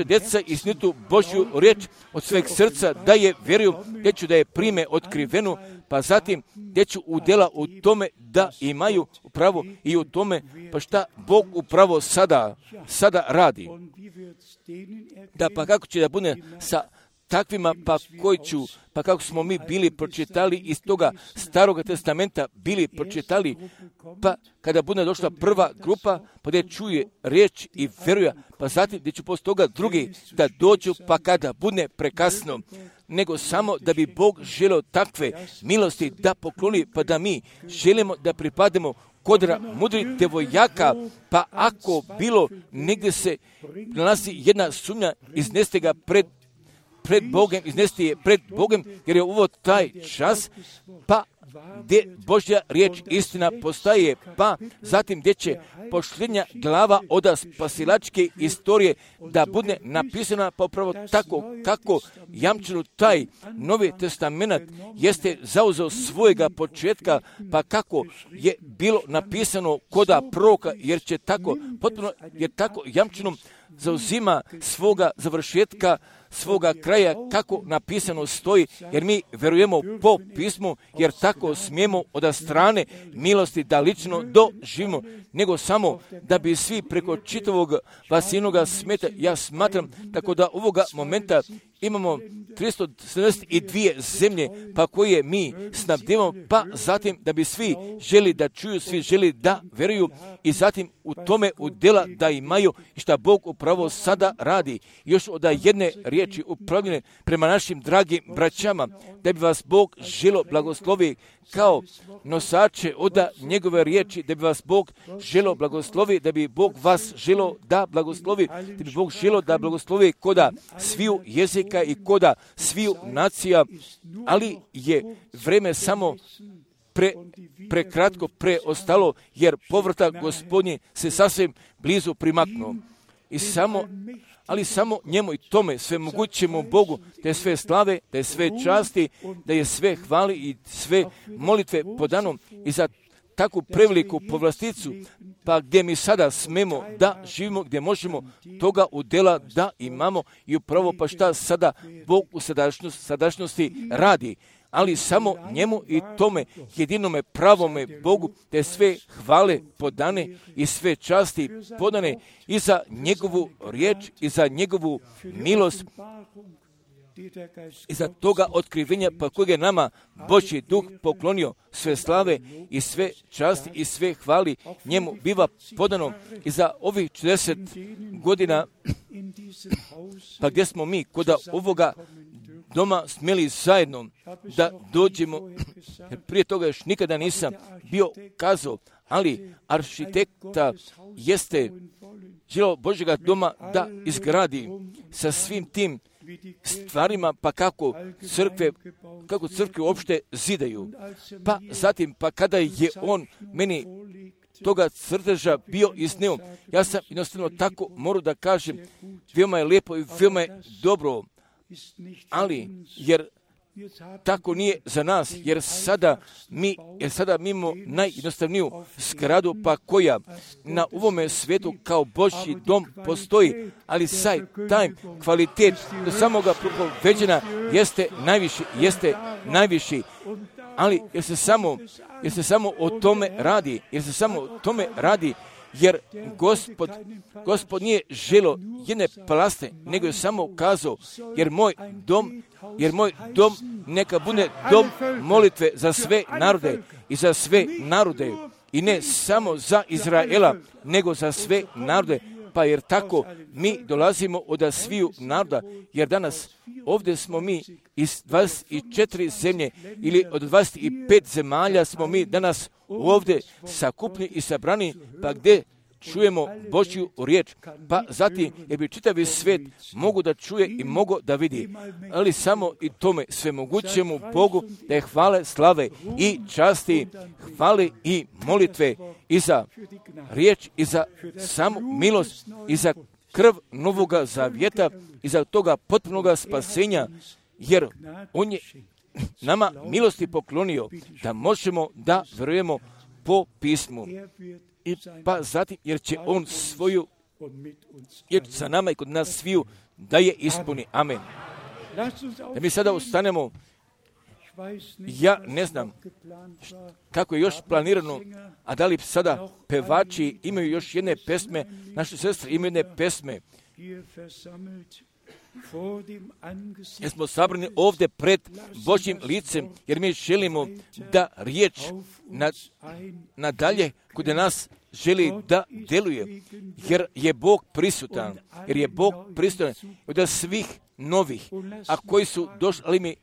djeca, istinitu Božju riječ od sveg srca da je vjeruju, gdje ću da je prime otkrivenu, pa zatim gdje ću udjela u tome da imaju upravo i u tome, pa šta Bog upravo sada radi. Da pa kako će da bude sa takvima, pa kako smo mi bili pročitali iz toga Staroga testamenta, bili pročitali, pa kada bude došla prva grupa, pa gdje čuje riječ i veruje, pa zatim gdje ću poslije toga drugi da dođu, pa kada bude prekasno, nego samo da bi Bog želeo takve milosti da pokloni, pa da mi želimo da pripademo kod mudrih devojaka, pa ako bilo negdje se nalazi jedna sumnja, izneste ga pred Bogom, iznesti je pred Bogom, jer je ovo taj čas, pa gdje Božja riječ istina postaje, pa zatim gdje će posljednja glava od spasilačke istorije da bude napisana, pa upravo tako kako jamčeno taj Novi Testament jeste zauzeo svojega početka, pa kako je bilo napisano koda proroka, jer će tako potpuno, jer tako jamčeno zauzima svoga završetka, svoga kraja, kako napisano stoji, jer mi verujemo po pismu, jer tako smijemo od strane milosti da lično doživimo, nego samo da bi svi preko čitavog vasinoga smeta. Ja smatram tako da ovoga momenta imamo 372 zemlje, pa koje mi snabdevamo, pa zatim da bi svi želi da čuju, svi želi da veruju i zatim u tome udjela da imaju i šta Bog upravo sada radi. Još od jedne riječi upravljene prema našim dragim braćama, da bi vas Bog želo blagoslovi kao nosače od njegove riječi, da bi vas Bog želo blagoslovi, da bi Bog vas želo da blagoslovi, da bi Bog želo da blagoslovi koda sviju jezika i koda sviju nacija, ali je vreme samo prekratko preostalo, jer povratak Gospodnji se sasvim blizu primaknuo. Ali samo njemu i tome sve mogućemu Bogu, da je sve slave, da je sve časti, da je sve hvali i sve molitve podano i za takvu preveliku povlasticu, pa gdje mi sada smemo da živimo, gdje možemo toga udjela da imamo i upravo pa šta sada Bog u sadašnjosti radi. Ali samo njemu i tome jedinome pravome Bogu, te sve hvale podane i sve časti podane i za njegovu riječ i za njegovu milost i za toga otkrivenja pa kojeg je nama Božji duh poklonio, sve slave i sve časti i sve hvali njemu biva podano i za ovih 40 godina pa gdje smo mi kod ovoga doma smjeli zajedno da dođemo, prije toga još nikada nisam bio kazao, ali arhitekta jeste želio Božjega doma da izgradi sa svim tim stvarima, pa kako crkve uopšte zidaju. Pa zatim, pa kada je on meni toga crteža bio iznio, ja sam jednostavno tako morao da kažem, veoma je lijepo i veoma je dobro, ali jer tako nije za nas, jer sada mi imamo najjednostavniju zgradu, pa koja na ovome svijetu kao Božji dom postoji, ali taj kvalitet do samoga propoveđena jeste najviši, ali jer se samo o tome radi, jer Gospod nije želo jedne plaste, nego je samo kazao, jer moj dom neka bude dom molitve za sve narode i ne samo za Izraela, nego za sve narode. Pa jer tako mi dolazimo od sviju naroda, jer danas ovdje smo mi iz 24 zemlje ili od 25 zemalja smo mi danas ovdje sakupni i sabrani, pa gdje čujemo Božju riječ, pa zatim jer bi čitavi svijet mogu da čuje i mogu da vidi, ali samo i tome svemogućemu Bogu da je hvale, slave i časti, hvale i molitve i za riječ i za samu milost i za krv novoga zavjeta i za toga potpunoga spasenja, jer on je nama milosti poklonio da možemo da verujemo po pismu. I pa zatim, jer će on svoju, jer sa nama i kod nas sviju da je ispuni. Amen. Da mi sada ustanemo, ja ne znam kako je još planirano, a da li sada pevači imaju još jedne pesme, naše sestre imaju jedne pesme. Jer smo sabrani ovdje pred Božjim licem, jer mi želimo da riječ nadalje kod nas želi da djeluje, jer je Bog prisutan, od svih novih, a koji su došli, ali mi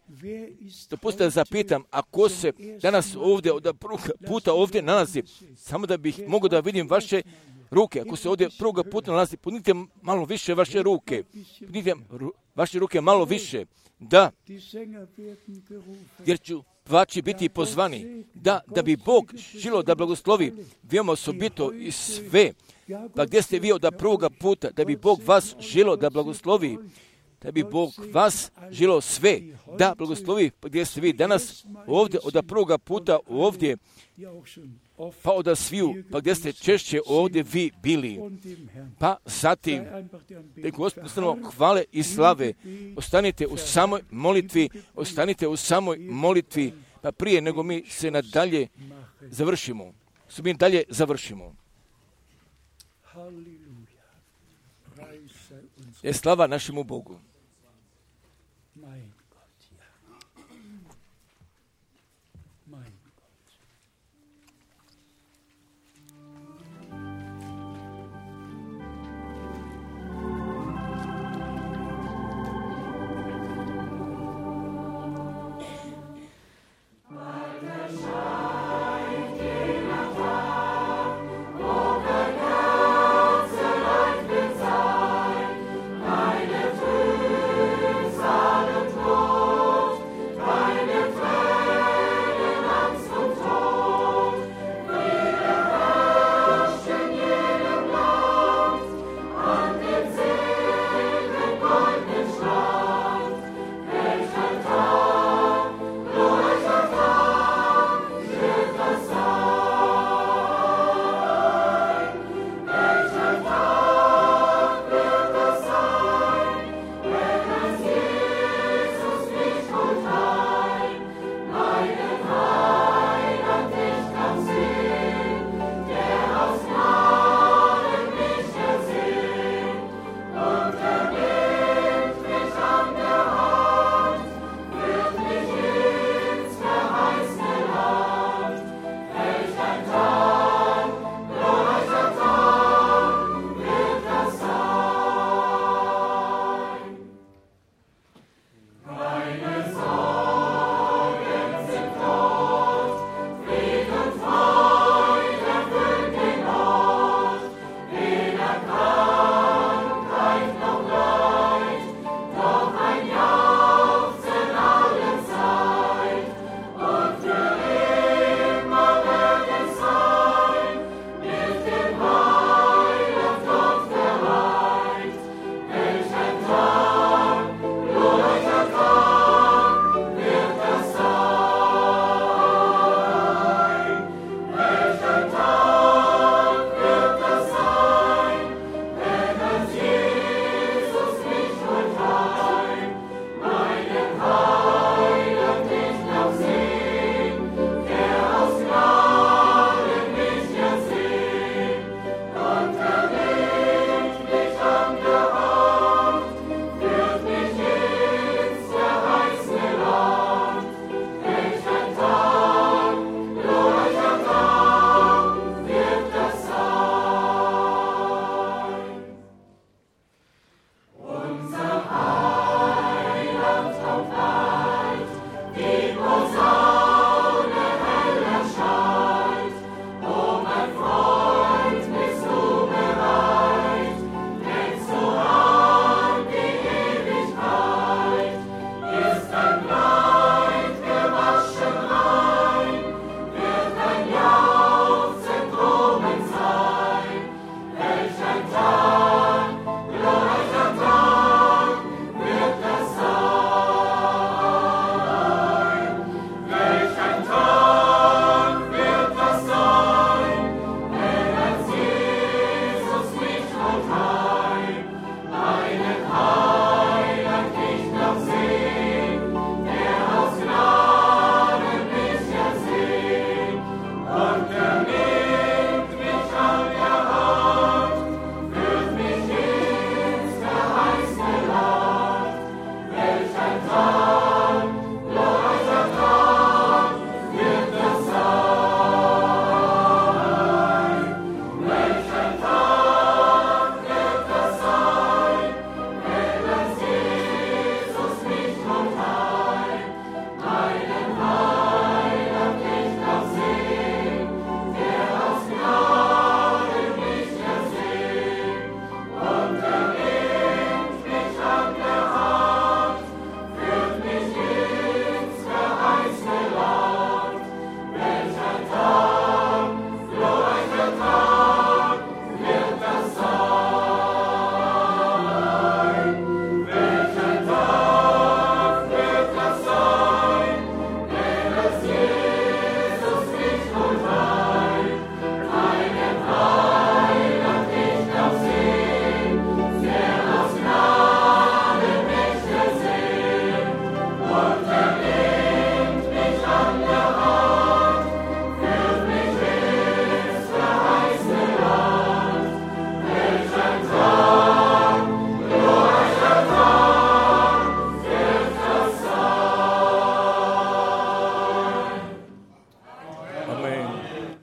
dopustite da zapitam, ako se danas ovdje od prvoga puta ovdje nalazi, samo da bih mogao da vidim vaše ruke, ako se ovdje prvoga puta nalazi, podignite malo više vaše ruke, podignite vaše ruke malo više, da, jer ću vaći biti pozvani, da bi Bog želio da blagoslovi veoma osobito i sve, pa gdje ste vi od prvoga puta, da bi Bog vas želio da blagoslovi, da bi Bog vas želio sve da blagoslovi, pa gdje ste vi danas ovdje od prvoga puta ovdje, pa od sviju, pa gdje ste češće ovdje vi bili, pa zatim da Gospodinu hvale i slave, ostanite u samoj molitvi, pa prije nego mi se nadalje završimo. Je slava našemu Bogu. Meine Früh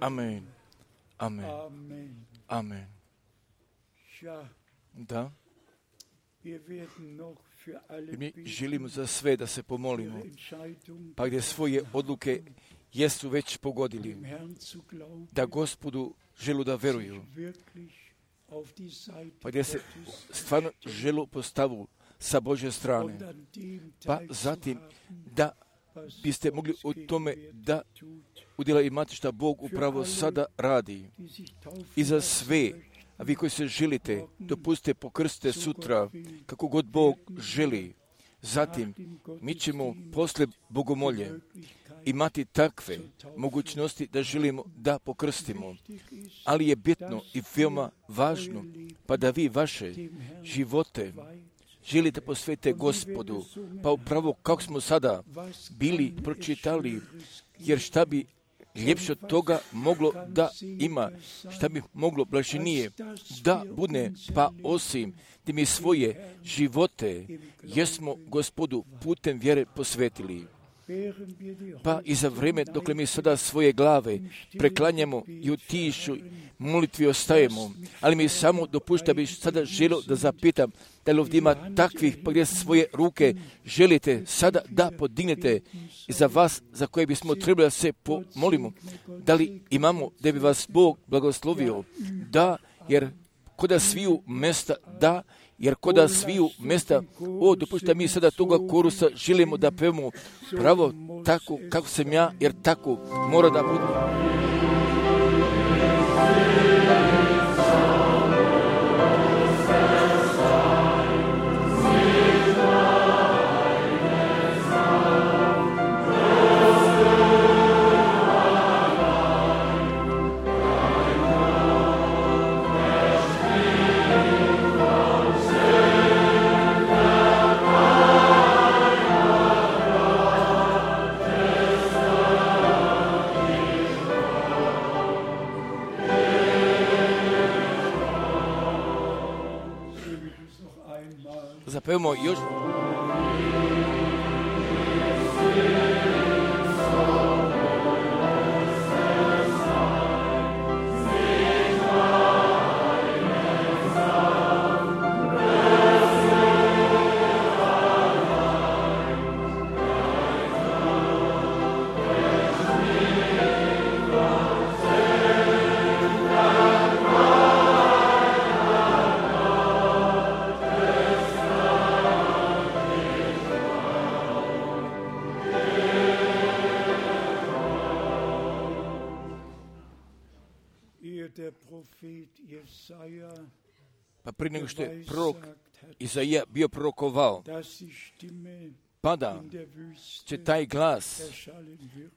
Amen. Amen. Amen. Da. Mi želimo za sve da se pomolimo, pa gdje svoje odluke jesu već pogodili, da Gospodu želu da veruju, pa gdje se stvarno želu postavu sa Božje strane, pa zatim da biste mogli u tome da udjela imati šta Bog upravo sada radi. I za sve, a vi koji se želite, dopustite pokrstite sutra, kako god Bog želi. Zatim, mi ćemo posle bogomolje imati takve mogućnosti da želimo da pokrstimo. Ali je bitno i veoma važno, pa da vi vaše živote želite posvetiti Gospodu, pa upravo kako smo sada bili pročitali, jer šta bi ljepše od toga moglo da ima, šta bi moglo blaženije da bude, pa osim da mi svoje živote jesmo Gospodu putem vjere posvetili. Pa i za vrijeme dok mi sada svoje glave preklanjamo i u tišu molitvi ostajemo, ali mi samo dopušta bih sada želio da zapitam da li ovdje ima takvih pa gdje svoje ruke želite sada da podignete za vas za koje bismo trebali da se pomolimo. Da li imamo da bi vas Bog blagoslovio? Da, jer koda sviju mesta da, jer koda sviju mesta, dopušta mi sada toga korusa želimo da pevamo pravo tako kako sam ja, jer tako mora da bude. Zapevamo još. Pa prije nego što je prorok Izaija bio prorokovao, pa da će taj glas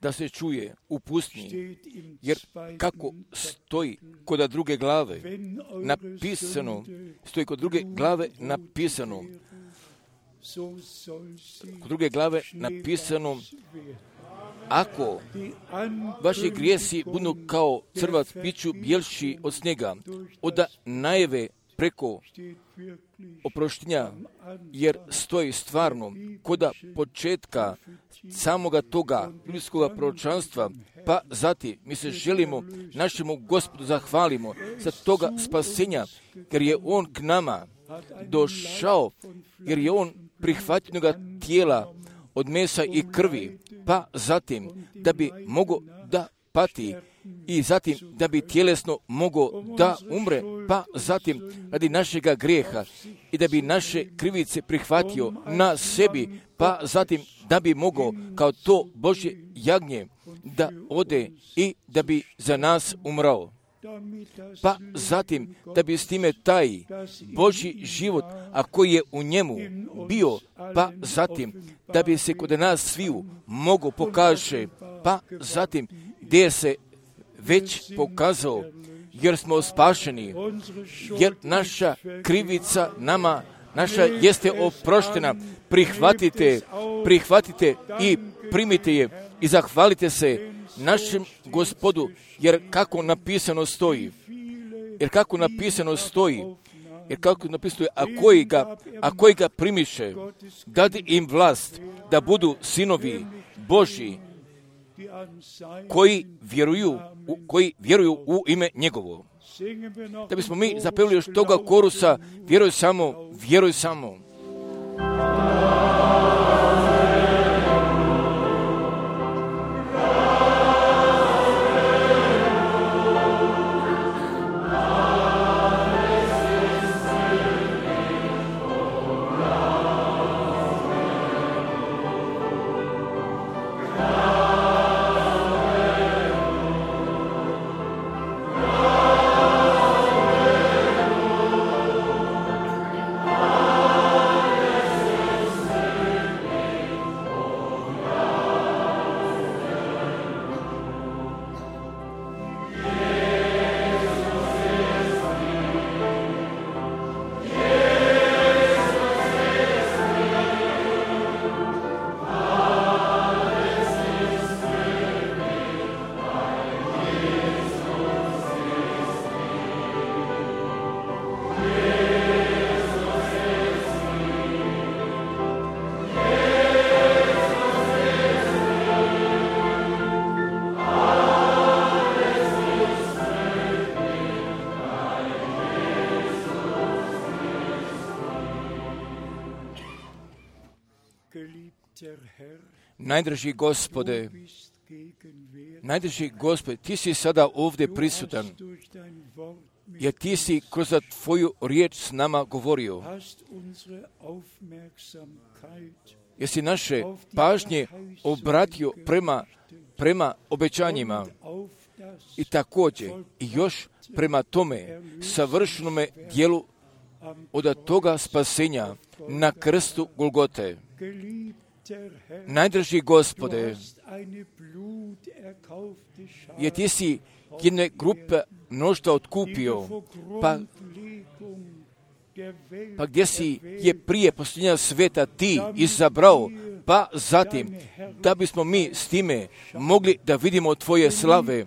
da se čuje u pustinji, jer kako stoji kod druge glave napisano, kod druge glave napisano, ako vaši grijesi budu kao crvac, biću bjelši od snijega, od najave preko oproštenja, jer stoji stvarno koda početka samoga toga ljudskoga proročanstva, pa zatim mi se želimo našemu Gospodu zahvalimo za toga spasenja, jer je On k nama došao, jer je On prihvatljenoga tijela od mesa i krvi, pa zatim da bi mogao da pati i zatim da bi tjelesno mogao da umre, pa zatim radi našega grijeha i da bi naše krivice prihvatio na sebi, pa zatim da bi mogao kao to Božje jagnje da ode i da bi za nas umrao. Pa zatim da bi s time taj Božji život, a koji je u njemu bio, pa zatim da bi se kod nas sviju mogo pokaže, pa zatim gdje se već pokazao, jer smo spašeni, jer naša krivica nama, naša jeste oproštena. Prihvatite i primite je i zahvalite se našem Gospodu, jer kako napisano stoji, a koji ga primiše, dadi im vlast da budu sinovi Božji, koji vjeruju u ime njegovo. Da bismo mi zapevili još toga korusa, vjeruj samo, vjeruj samo. Najdraži Gospode, ti si sada ovdje prisutan, jer ti si kroz tvoju riječ s nama govorio. Jer si naše pažnje obratio prema obećanjima i također i još prema tome savršenome dijelu od toga spasenja na krstu Golgote. Najdraži Gospode, jer ti si jedne grupe mnoštva otkupio, pa gdje si je prije posljednja sveta ti izabrao, pa zatim da bismo mi s time mogli da vidimo tvoje slave.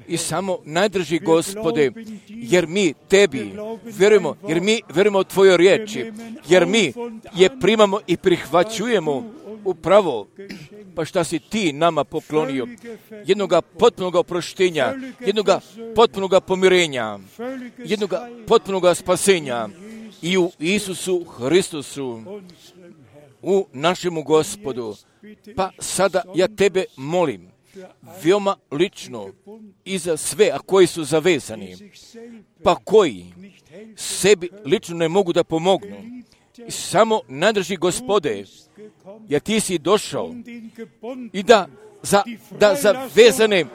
I samo najdraži Gospode, jer mi tebi vjerujemo, jer mi vjerujemo tvojoj riječi, jer mi je primamo i prihvaćujemo upravo, pa šta si ti nama poklonio, jednoga potpunoga oproštenja, jednoga potpunoga pomirenja, jednoga potpunoga spasenja i u Isusu Hristusu, u našemu Gospodu. Pa sada ja tebe molim, veoma lično i za sve, a koji su zavezani, pa koji sebi lično ne mogu da pomognu. I samo najdraži Gospode, jer ti si došao i da zavezane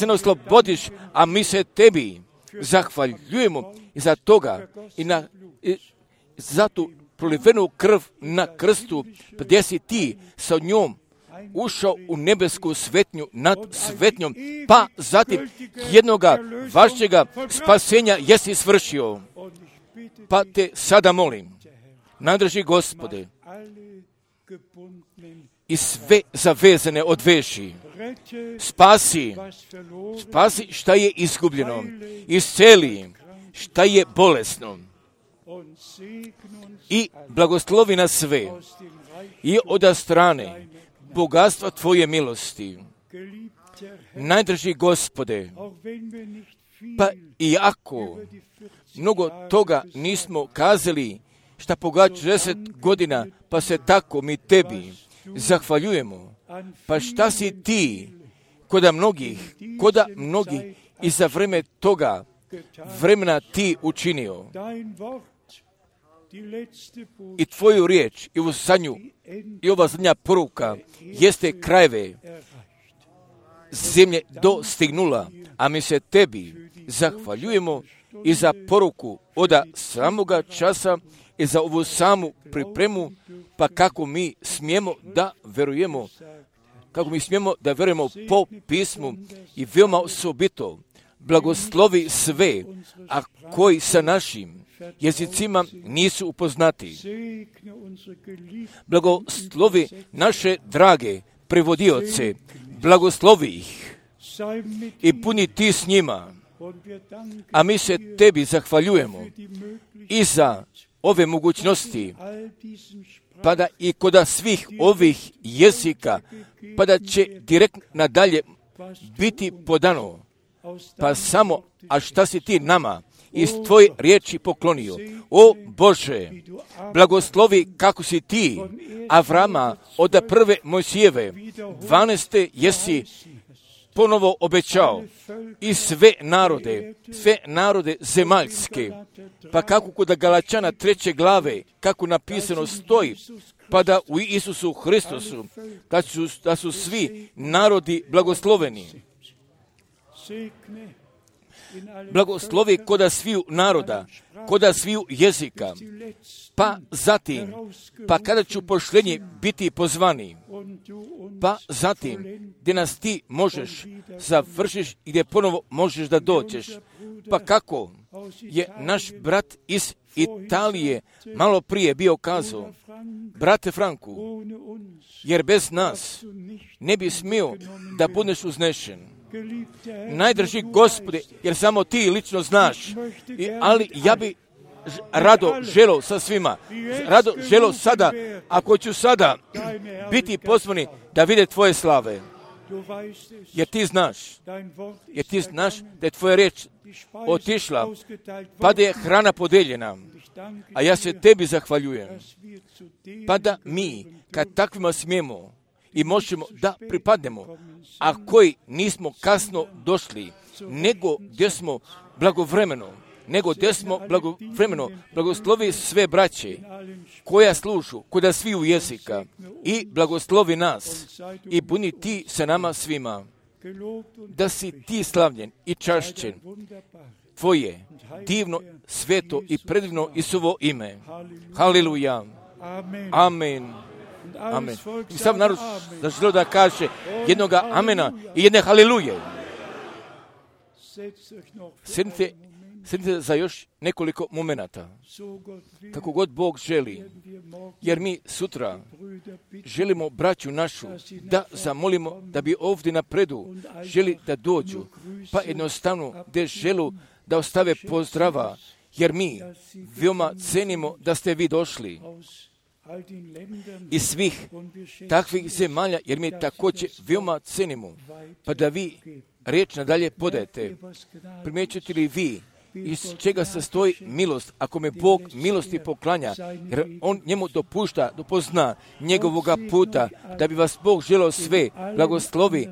oslobodiš, a mi se tebi zahvaljujemo i za toga i za tu prolivenu krv na krstu, gdje si ti sa njom ušao u nebesku svetnju nad svetnjom, pa zatim jednoga vašega spasenja jesi svršio. Pa te sada molim, najdraži Gospode, i sve zavezane odveži, spasi šta je izgubljeno, isceli šta je bolesno i blagoslovi nas sve i od strane bogatstva tvoje milosti. Najdraži Gospode, pa i ako mnogo toga nismo kazali šta pogađa 10 godina, pa se tako mi tebi zahvaljujemo. Pa šta si ti koda mnogih i za vreme toga vremena ti učinio. I tvoju riječ i ova zadnja poruka jeste krajeve zemlje dostignula, a mi se tebi zahvaljujemo i za poruku od samoga časa i za ovu samu pripremu, pa kako mi smijemo da verujemo po pismu i veoma osobito blagoslovi sve, a koji sa našim jezicima nisu upoznati. Blagoslovi naše drage prevodioce, blagoslovi ih i puni ti s njima, a mi se tebi zahvaljujemo i za ove mogućnosti pa da i kod svih ovih jezika, pa da će direktno nadalje biti podano. Pa samo, a šta si ti nama iz tvoje riječi poklonio? O Bože, blagoslovi kako si ti Avrama od prve Mojsijeve 12. jesi ponovo obećao i sve narode zemaljske, pa kako kod Galačana 3. glave, kako napisano stoji, pa da u Isusu Hristosu, da su svi narodi blagosloveni. Blagoslovi koda sviju naroda, koda sviju jezika, pa zatim, pa kada ću pošljenje biti pozvani, pa zatim, gdje nas ti možeš završiš i gdje ponovo možeš da dođeš. Pa kako je naš brat iz Italije malo prije bio kazao, brate Franku, jer bez nas ne bi smio da budeš uznešen. Najdraži Gospode, jer samo ti lično znaš, ali ja bi rado želeo sa svima, rado želeo sada, ako ću sada biti pozvani da vide tvoje slave, jer ti znaš da je tvoja riječ otišla, pa da je hrana podeljena, a ja se tebi zahvaljujem, pa da mi, kad takvima smijemo i možemo da pripadnemo, a koji nismo kasno došli, nego gdje smo blagovremeno, blagoslovi sve braće koja služu kod sviju jezika i blagoslovi nas i buni ti sa nama svima, da si ti slavljen i čašćen, tvoje divno, sveto i predivno Isuvo ime. Haleluja. Amen. Amen. I sam narod zaželio da kaže jednoga amena i jedne haleluje. Sjednite za još nekoliko momenata, kako god Bog želi, jer mi sutra želimo braću našu da zamolimo da bi ovdje napredu želi da dođu, pa jednostavno gdje želu da ostave pozdrava, jer mi veoma cenimo da ste vi došli iz svih takvih zemalja, jer mi također veoma cenimo, pa da vi riječ nadalje podajete. Primjećujete li vi iz čega se stoji milost, ako me Bog milosti poklanja, jer On njemu dopušta, dopozna njegovoga puta, da bi vas Bog želeo sve blagoslovi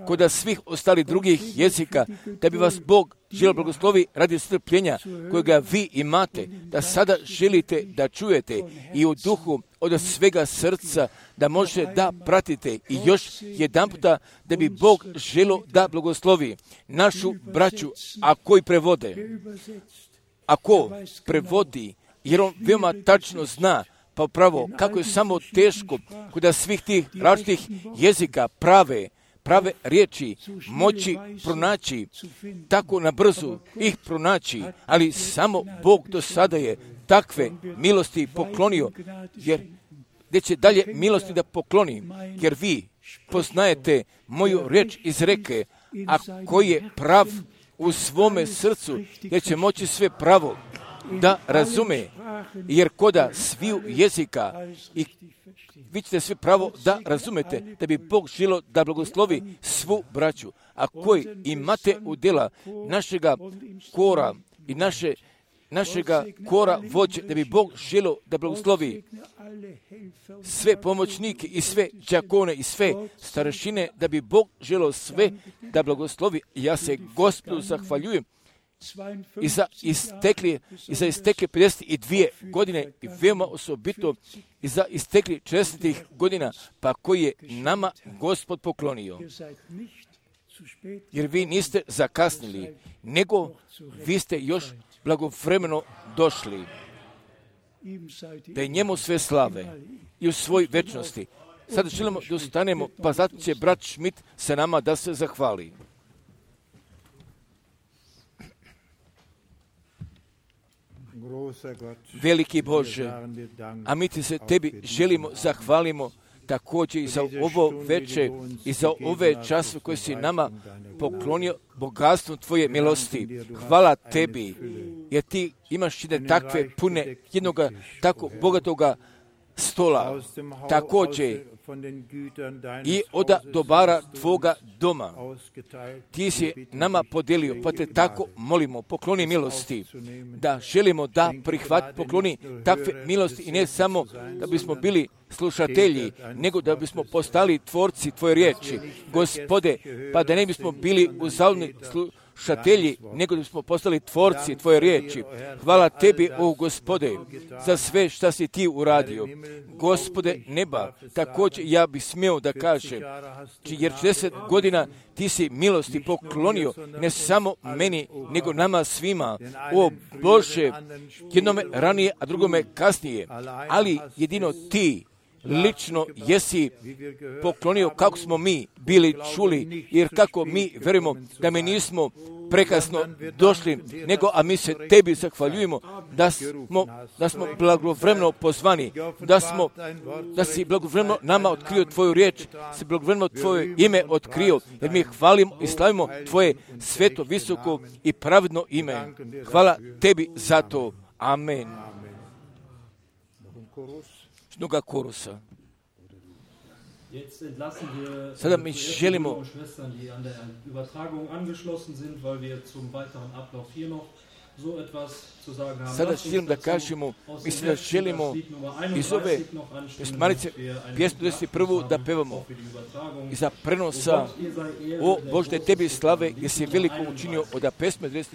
kod svih ostalih drugih jezika, da bi vas Bog želeo blagoslovi radi strpljenja kojega vi imate, da sada želite da čujete i u duhu od svega srca da može da pratite i još jedanputa da bi Bog želeo da blagoslovi našu braću, a koji prevode. Ako prevodi, jer on veoma tačno zna, pa upravo kako je samo teško kod svih tih različitih jezika prave riječi moći pronaći, tako na brzu ih pronaći, ali samo Bog do sada je takve milosti poklonio, jer gdje će dalje milosti da pokloni, jer vi poznajete moju riječ iz reke, a koji je prav u svome srcu, jer će moći sve pravo da razume, jer koda sviju jezika i vi ćete sve pravo da razumete, da bi Bog želio da blagoslovi svu braću, a koji imate udjela našega kora i našega kora vođe, da bi Bog želio da blagoslovi sve pomoćnike i sve đakone i sve starešine, da bi Bog želio sve da blagoslovi. Ja se Gospodu zahvaljujem i za istekli 52 godine i veoma osobito i za istekli 40 godina, pa koji je nama Gospod poklonio. Jer vi niste zakasnili, nego vi ste još blagovremeno došli. Da je njemu sve slave i u svoj večnosti. Sada želimo da ustanemo, pa zato će brat Schmidt sa nama da se zahvali. Veliki Bože, a mi ti se tebi želimo zahvalimo također i za ovo veče i za ove časove koje si nama poklonio bogatstvom tvoje milosti. Hvala tebi, jer ti imaš jedne takve pune, jednoga tako bogatoga stola, također i od dobara tvoga doma. Ti si nama podijelio, pa te tako molimo, pokloni milosti, da želimo da pokloni takve milosti i ne samo da bismo bili slušatelji, nego da bismo postali tvorci tvoje riječi, Gospode, pa da ne bismo bili uzaludni slušatelji, nego da bismo postali tvorci tvoje riječi. Hvala tebi, o Gospode, za sve što si ti uradio. Gospode neba, također ja bih smio da kažem, jer 40 godina ti si milosti poklonio, ne samo meni, nego nama svima. O Bože, jednome ranije, a drugome kasnije, ali jedino ti lično jesi poklonio kako smo mi bili čuli, jer kako mi verujemo da mi nismo prekasno došli, nego a mi se tebi zahvaljujemo da smo blagovremeno pozvani, da si blagovremeno nama otkrio tvoju riječ, si blagovremeno tvoje ime otkrio, jer mi hvalimo i slavimo tvoje sveto, visoko i pravedno ime. Hvala tebi za to. Amen. Mnoga korusa. Sada mi želimo sada želim da kažemo, mislim da želimo iz ove pjesmanice pjesmu 21. da pevamo iza prenosa o Bože tebi slave jer si veliko učinio od pjesme 20.